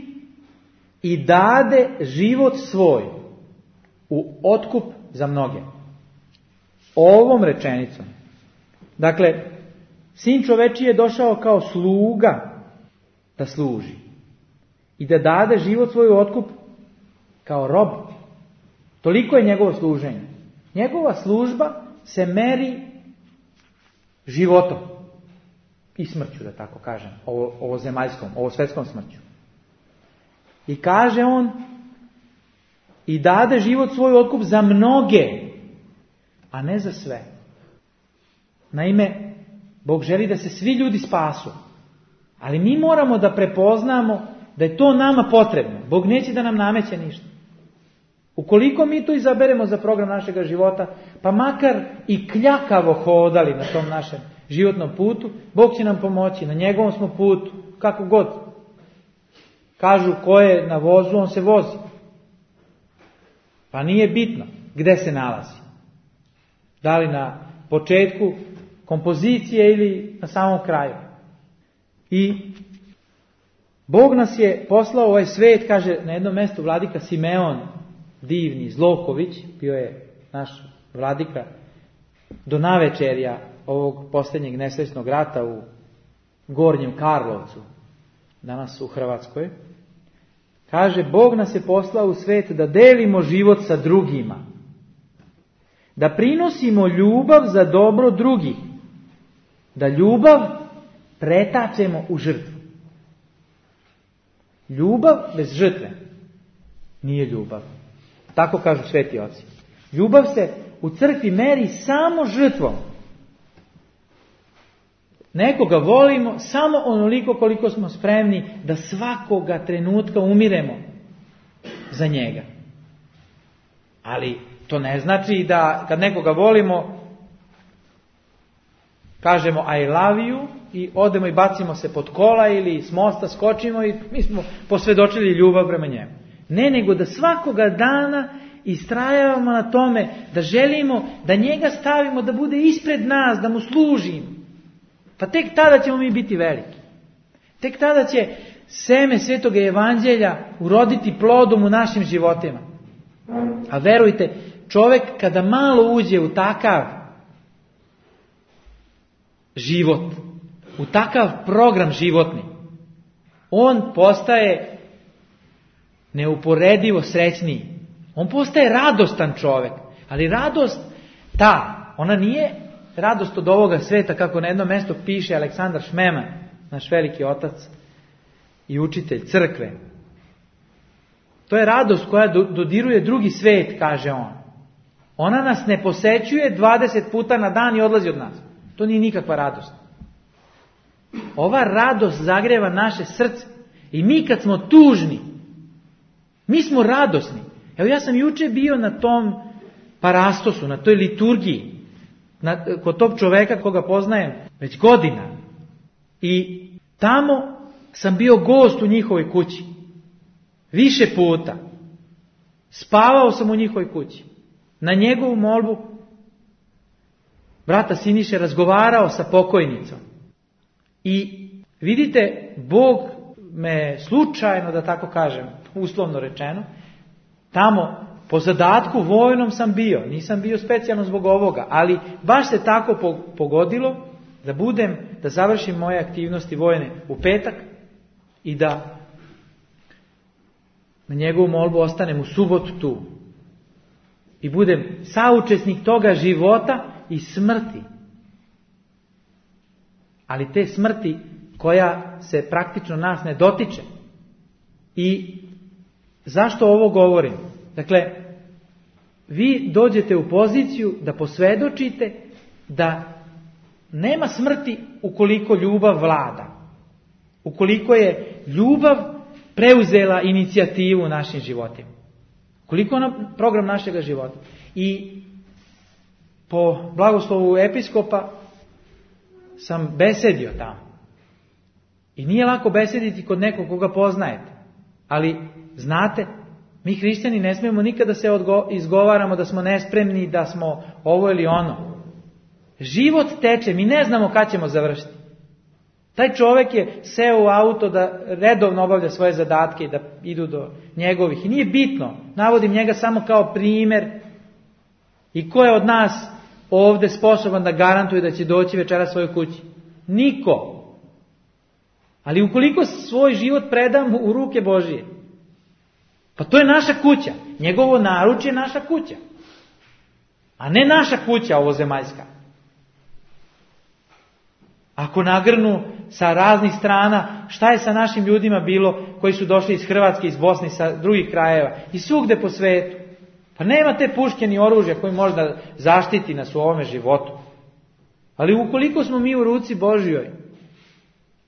i dade život svoj u otkup za mnoge. Ovom rečenicom, dakle, sin čovečiji je došao kao sluga da služi i da dade život svoj u otkup kao rob. Toliko je njegovo služenje. Njegova služba se meri životom i smrću, da tako kažem, ovo zemaljskom, ovo svetskom smrću. I kaže on, i dade život svoj otkup za mnoge, a ne za sve. Naime, Bog želi da se svi ljudi spasu. Ali mi moramo da prepoznamo da je to nama potrebno. Bog neće da nam nameće ništa. Ukoliko mi to izaberemo za program našeg života, pa makar i kljakavo hodali na tom našem životnom putu, Bog će nam pomoći, na njegovom smo putu, kako god. Kažu ko je na vozu, on se vozi. Pa nije bitno gde se nalazi. Da li na početku kompozicije ili na samom kraju. I Bog nas je poslao u ovaj svet, kaže na jednom mjestu vladika Simeon, divni Zloković, bio je naš vladika do navečerja ovog posljednjeg nesrećnog rata u Gornjem Karlovcu, danas u Hrvatskoj. Kaže, Bog nas je poslao u svet da delimo život sa drugima, da prinosimo ljubav za dobro drugih, da ljubav pretačemo u žrtvu. Ljubav bez žrtve nije ljubav. Tako kažu sveti oci. Ljubav se u crkvi meri samo žrtvom. Nekoga volimo samo onoliko koliko smo spremni da svakoga trenutka umiremo za njega. Ali to ne znači da kad nekoga volimo kažemo I love you i odemo i bacimo se pod kola ili s mosta skočimo i mi smo posvjedočili ljubav prema njemu. Ne, nego da svakoga dana istrajavamo na tome da želimo da njega stavimo da bude ispred nas, da mu služimo. Pa tek tada ćemo mi biti veliki. Tek tada će seme Svetog Evanđelja uroditi plodom u našim životima. A verujte, čovjek kada malo uđe u takav život, u takav program životni, on postaje neuporedivo srećniji. On postaje radostan čovjek. Ali radost ona nije radost od ovoga sveta, kako na jednom mjestu piše Aleksandar Šmeman, naš veliki otac i učitelj crkve. To je radost koja dodiruje drugi svet, kaže on. Ona nas ne posećuje 20 puta na dan i odlazi od nas. To nije nikakva radost. Ova radost zagreva naše srce. I mi kad smo tužni, mi smo radosni. Evo ja sam juče bio na tom parastosu, na toj liturgiji, kod tog čoveka koga poznajem već godina. I tamo sam bio gost u njihovoj kući. Više puta. Spavao sam u njihovoj kući. Na njegovu molbu brata Siniše razgovarao sa pokojnicom. I vidite, Bog me slučajno, da tako kažem, uslovno rečeno, tamo po zadatku vojnom sam bio. Nisam bio specijalno zbog ovoga, ali baš se tako pogodilo da završim moje aktivnosti vojne u petak i da na njegovu molbu ostanem u subotu tu. I budem saučesnik toga života i smrti. Ali te smrti koja se praktično nas ne dotiče. I zašto ovo govorim? Dakle, vi dođete u poziciju da posvjedočite da nema smrti ukoliko ljubav vlada. Ukoliko je ljubav preuzela inicijativu u našim životima. Koliko je program našega života. I po blagoslovu episkopa sam besedio tamo. I nije lako besediti kod nekog koga poznajete. Ali, znate, mi hrišćani ne smijemo nikada se izgovaramo da smo nespremni, da smo ovo ili ono. Život teče, mi ne znamo kad ćemo završiti. Taj čovjek je seo u auto da redovno obavlja svoje zadatke i da idu do njegovih. I nije bitno, navodim njega samo kao primjer. I ko je od nas ovdje sposoban da garantuje da će doći večera svojoj kući? Niko. Ali ukoliko svoj život predamo u ruke Božije, pa to je naša kuća. Njegovo naručje je naša kuća. A ne naša kuća ovozemaljska. Ako nagrnu sa raznih strana. Šta je sa našim ljudima bilo koji su došli iz Hrvatske, iz Bosne, sa drugih krajeva i svugde po svetu? Pa nema te puške ni oružja koji može da zaštiti nas u ovome životu. Ali ukoliko smo mi u ruci Božjoj,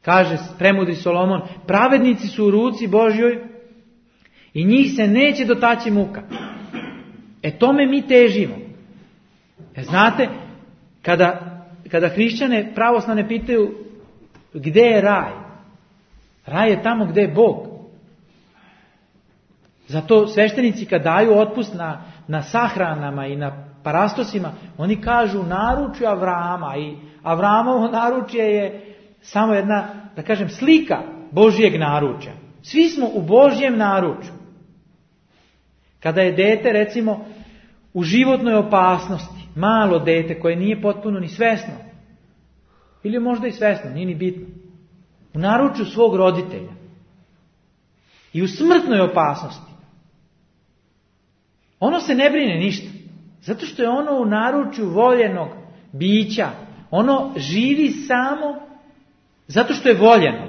kaže premudri Solomon, pravednici su u ruci Božjoj i njih se neće dotaći muka. Tome mi težimo. Znate, kada hrišćane pravoslavne pitaju gde je raj? Raj je tamo gde je Bog. Zato sveštenici kad daju otpust na sahranama i na parastosima, oni kažu naručju Avrama, i Avramovo naručje je samo jedna, da kažem, slika Božjeg naručja. Svi smo u Božjem naručju. Kada je dete, recimo, u životnoj opasnosti, malo dete koje nije potpuno ni svesno, ili možda i svesno, nije ni bitno, u naručju svog roditelja i u smrtnoj opasnosti, ono se ne brine ništa, zato što je ono u naručju voljenog bića. Ono živi samo zato što je voljeno.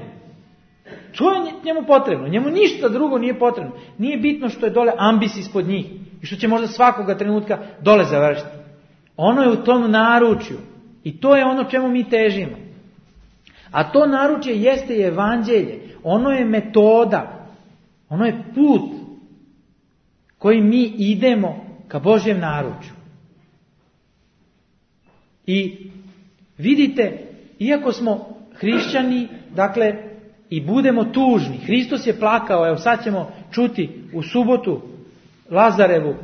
To je njemu potrebno. Njemu ništa drugo nije potrebno. Nije bitno što je dole ambis ispod njih i što će možda svakoga trenutka dole završiti. Ono je u tom naručju i to je ono čemu mi težimo. A to naručje jeste i evanđelje. Ono je metoda. Ono je put kojim mi idemo ka Božjem naručju. I vidite, iako smo hrišćani, dakle, i budemo tužni, Hristos je plakao, evo sad ćemo čuti u subotu Lazarevu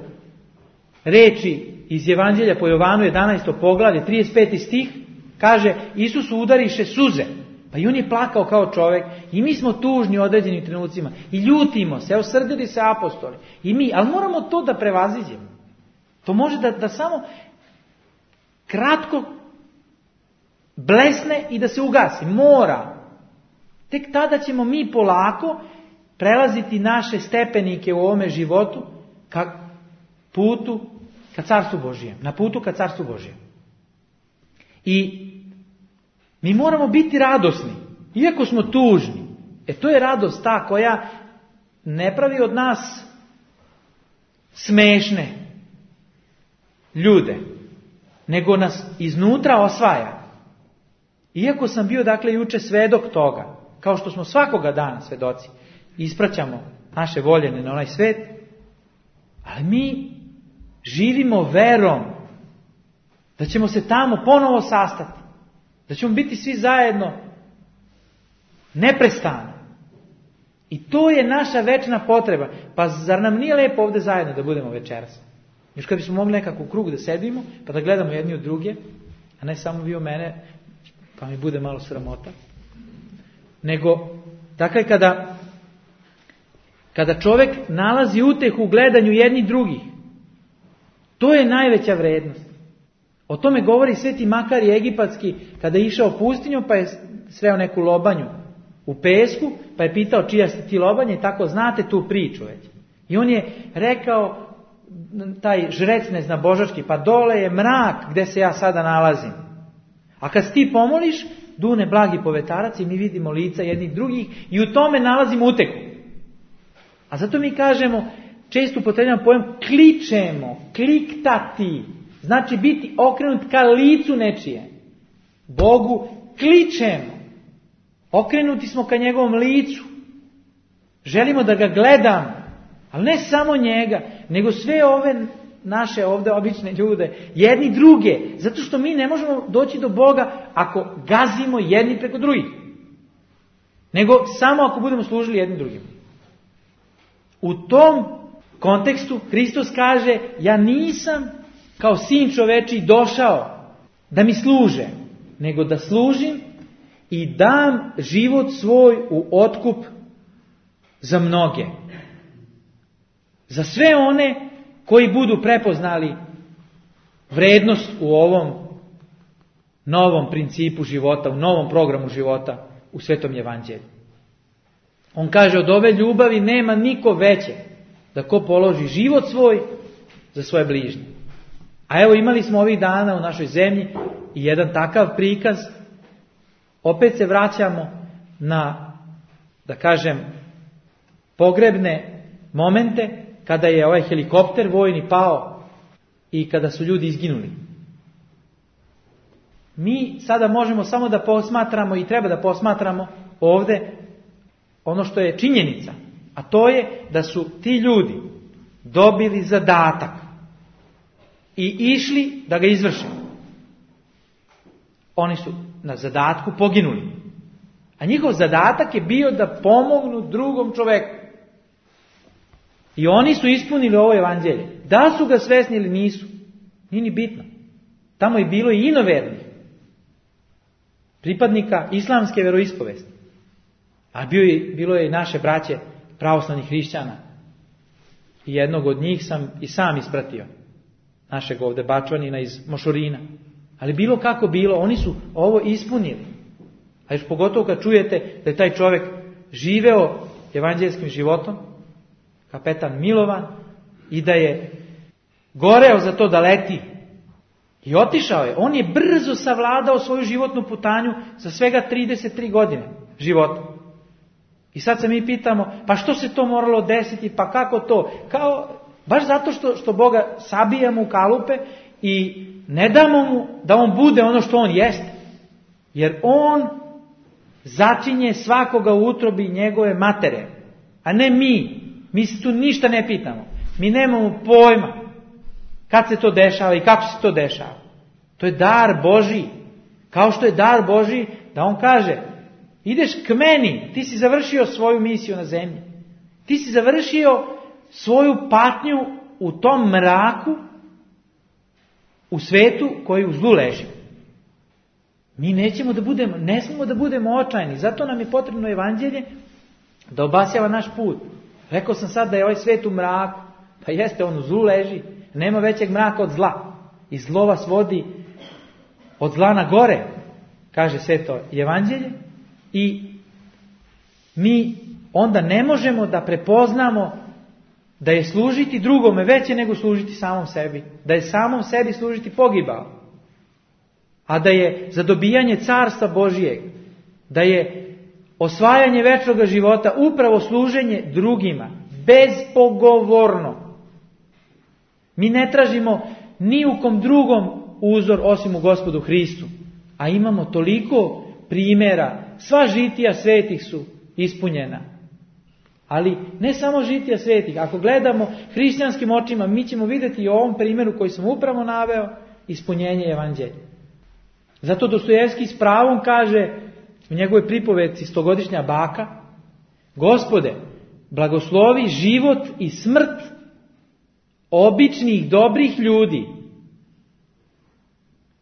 reči iz Evanđelja po Jovanu 11. poglavlje, 35. stih, kaže, Isusu udariše suze, pa i on je plakao kao čovjek, i mi smo tužni u određenim trenucima, i ljutimo se, evo srdili se apostoli, i mi, ali moramo to da prevaziđemo. To može da samo kratko blesne i da se ugasi, mora. Tek tada ćemo mi polako prelaziti naše stepenike u ovome životu ka putu ka Carstvu Božijem, na putu ka Carstvu Božijem. I mi moramo biti radosni, iako smo tužni. To je radost ta koja ne pravi od nas smešne ljude, nego nas iznutra osvaja. Iako sam bio, dakle, juče svedok toga, kao što smo svakoga dana svedoci, ispraćamo naše voljene na onaj svet, ali mi živimo verom da ćemo se tamo ponovo sastati, da ćemo biti svi zajedno neprestano. I to je naša večna potreba. Pa zar nam nije lepo ovdje zajedno da budemo večeras? Još kad bismo mogli nekako u krug da sedimo, pa da gledamo jedni od druge, a ne samo vi o mene, pa mi bude malo sramota. Nego, dakle, kada čovjek nalazi utehu u gledanju jednih drugih, to je najveća vrednost. O tome govori Sveti Makari Egipatski, kada je išao pustinjom, pa je sreo neku lobanju u pesku, pa je pitao čija ste ti lobanje, i tako znate tu priču već. I on je rekao, taj žrec neznabožački, pa dole je mrak gde se ja sada nalazim. A kad ti pomoliš, dune blagi povetarac i mi vidimo lica jednih drugih i u tome nalazimo uteku. A zato mi kažemo, često upotrebljamo pojam kličemo, kliktati, znači biti okrenut ka licu nečije. Bogu kličemo, okrenuti smo ka njegovom licu, želimo da ga gledamo, ali ne samo njega, nego sve ove naše ovdje obične ljude, jedni druge, zato što mi ne možemo doći do Boga ako gazimo jedni preko drugih, nego samo ako budemo služili jedni drugim. U tom kontekstu Hristos kaže, ja nisam kao sin čovečiji došao da mi služe, nego da služim i dam život svoj u otkup za mnoge. Za sve one koji budu prepoznali vrednost u ovom novom principu života, u novom programu života u Svetom Evanđelju. On kaže, od ove ljubavi nema niko veće da ko položi život svoj za svoje bližnje. A evo imali smo ovih dana u našoj zemlji i jedan takav prikaz opet se vraćamo na, da kažem, pogrebne momente kada je ovaj helikopter vojni pao i kada su ljudi izginuli. Mi sada možemo samo da posmatramo i treba da posmatramo ovdje ono što je činjenica, a to je da su ti ljudi dobili zadatak i išli da ga izvrše. Oni su na zadatku poginuli, a njihov zadatak je bio da pomognu drugom čoveku. I oni su ispunili ovo evanđelje. Da su ga svesni ili nisu, nije ni bitno. Tamo je bilo i inovernih pripadnika islamske veroispovesti. A bilo je i naše braće pravoslavnih hrišćana. I jednog od njih sam i sam ispratio. Našeg ovdje Bačvanina iz Mošorina. Ali bilo kako bilo, oni su ovo ispunili. A još pogotovo kad čujete da je taj čovjek živeo evanđelskim životom, kapetan Milovan, i da je goreo za to da leti. I otišao je. On je brzo savladao svoju životnu putanju za svega 33 godine života. I sad se mi pitamo, pa što se to moralo desiti, pa kako to? Baš zato što Boga sabijamo u kalupe i ne damo mu da on bude ono što on jeste. Jer on začinje svakoga u utrobi njegove matere, a ne mi. Mi se tu ništa ne pitamo. Mi nemamo pojma kad se to dešava i kako se to dešava. To je dar Božji. Kao što je dar Božji da on kaže, ideš k meni, ti si završio svoju misiju na zemlji. Ti si završio svoju patnju u tom mraku, u svetu koji u zlu leži. Mi ne smemo da budemo očajni. Zato nam je potrebno evanđelje da obasjava naš put. Rekao sam sad da je ovaj svet u mraku. Pa jeste, on u zlu leži. Nema većeg mraka od zla. I zlo vas vodi od zla na gore, kaže sveto evanđelje. I mi onda ne možemo da prepoznamo da je služiti drugome veće nego služiti samom sebi. Da je samom sebi služiti pogibao. A da je za dobijanje carstva Božijeg, da je osvajanje večnoga života upravo služenje drugima, bezpogovorno. Mi ne tražimo ni u kom drugom uzor osim u Gospodu Hristu, a imamo toliko primjera, sva žitija svetih su ispunjena. Ali ne samo žitija svetih, ako gledamo hrišćanskim očima, mi ćemo vidjeti i u ovom primjeru koji sam upravo naveo, ispunjenje evanđelja. Zato Dostojevski s pravom kaže u njegovoj pripovetci Stogodišnja baka, Gospode, blagoslovi život i smrt običnih dobrih ljudi.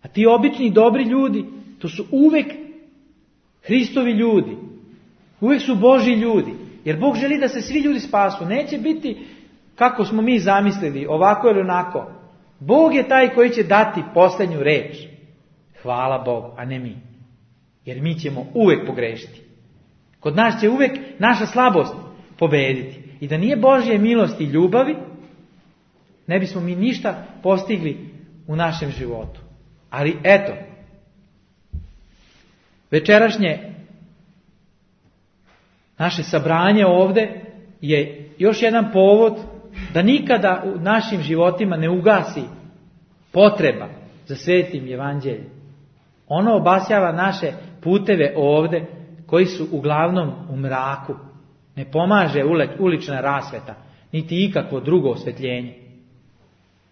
A ti obični dobri ljudi, to su uvek Hristovi ljudi. Uvek su Božji ljudi. Jer Bog želi da se svi ljudi spasu. Neće biti kako smo mi zamislili, ovako ili onako. Bog je taj koji će dati posljednju reč. Hvala Bogu, a ne mi. Jer mi ćemo uvek pogrešiti. Kod nas će uvek naša slabost pobediti. I da nije Božje milosti i ljubavi, ne bismo mi ništa postigli u našem životu. Ali eto, večerašnje naše sabranje ovdje je još jedan povod da nikada u našim životima ne ugasi potreba za svetim evanđeljem. Ono obasjava naše puteve ovdje koji su uglavnom u mraku. Ne pomaže ulična rasveta, niti ikakvo drugo osvetljenje.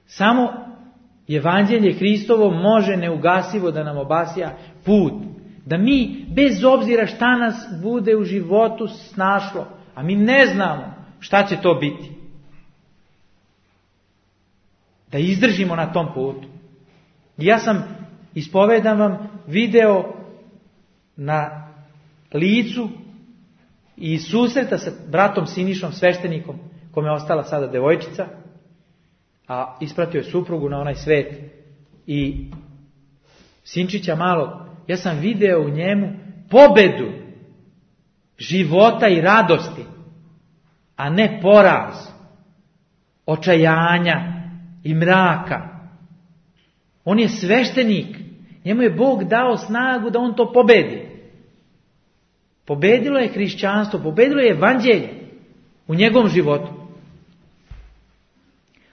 Samo evanđelje Hristovo može neugasivo da nam obasja put. Da mi, bez obzira šta nas bude u životu snašlo, a mi ne znamo šta će to biti, da izdržimo na tom putu. I ja sam, ispovedam vam, video na licu i susreta sa bratom Sinišom, sveštenikom, kome je ostala sada devojčica, a ispratio je suprugu na onaj svet, i sinčića malog. Ja sam video u njemu pobedu života i radosti, a ne poraz, očajanja i mraka. On je sveštenik. Njemu je Bog dao snagu da on to pobedi. Pobedilo je hrišćanstvo, pobedilo je evanđelje u njegovom životu.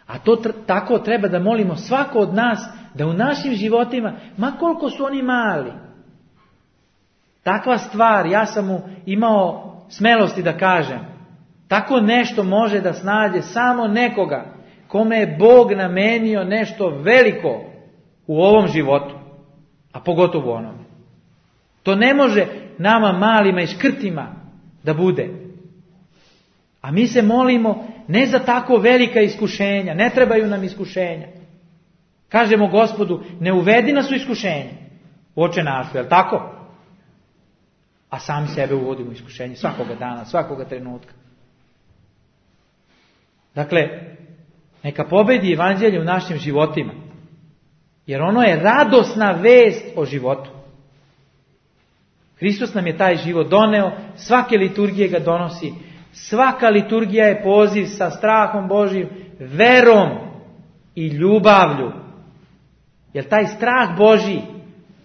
A to tako treba da molimo svako od nas, da u našim životima, ma koliko su oni mali, takva stvar, ja sam mu imao smelosti da kažem, tako nešto može da snađe samo nekoga kome je Bog namenio nešto veliko u ovom životu, a pogotovo u onome. To ne može nama malima i škrtima da bude. A mi se molimo ne za tako velika iskušenja, ne trebaju nam iskušenja. Kažemo Gospodu, ne uvedi nas u iskušenje, Oče naš, je li tako? A sami sebe uvodimo u iskušenje svakoga dana, svakoga trenutka. Dakle, neka pobedi evanđelje u našim životima, jer ono je radosna vest o životu. Hristos nam je taj život doneo, svake liturgije ga donosi. Svaka liturgija je poziv sa strahom Božjim, verom i ljubavlju. Jer taj strah Božji,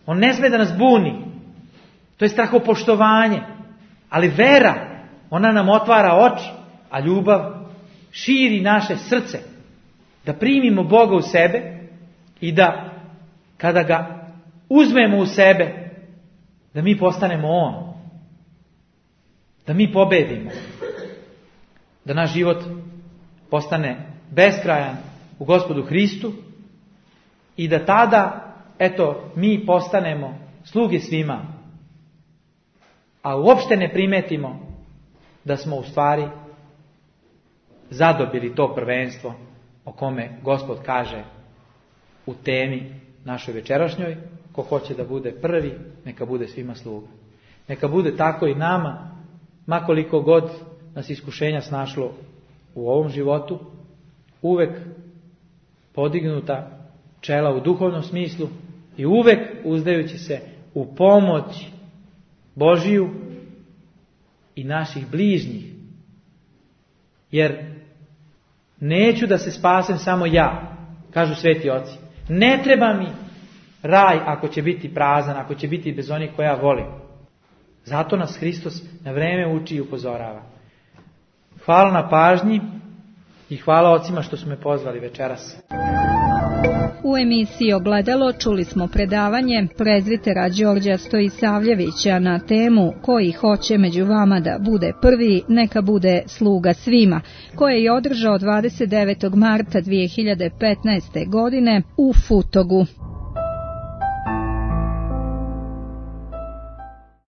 on ne sme da nas buni. To je strahopoštovanje. Ali vera, ona nam otvara oči, a ljubav širi naše srce. Da primimo Boga u sebe i da kada ga uzmemo u sebe, da mi postanemo On. Da mi pobedimo. Da naš život postane beskrajan u Gospodu Hristu i da tada, mi postanemo sluge svima. A uopšte ne primetimo da smo u stvari zadobili to prvenstvo o kome Gospod kaže u temi našoj večerašnjoj: ko hoće da bude prvi, neka bude svima sluga. Neka bude tako i nama, makoliko god nas iskušenja snašlo u ovom životu, uvek podignuta čela u duhovnom smislu i uvek uzdajući se u pomoć Božiju i naših bližnjih. Jer neću da se spasem samo ja, kažu sveti oci. Ne treba mi raj ako će biti prazan, ako će biti bez onih koja volim. Zato nas Hristos na vreme uči i upozorava. Hvala na pažnji i hvala ocima što su me pozvali večeras.
U emisiji Ogledalo čuli smo predavanje prezvitera Đorđa Stojisavljevića na temu koji hoće među vama da bude prvi, neka bude sluga svima, koje je održao 29. marta 2015. godine u Futogu.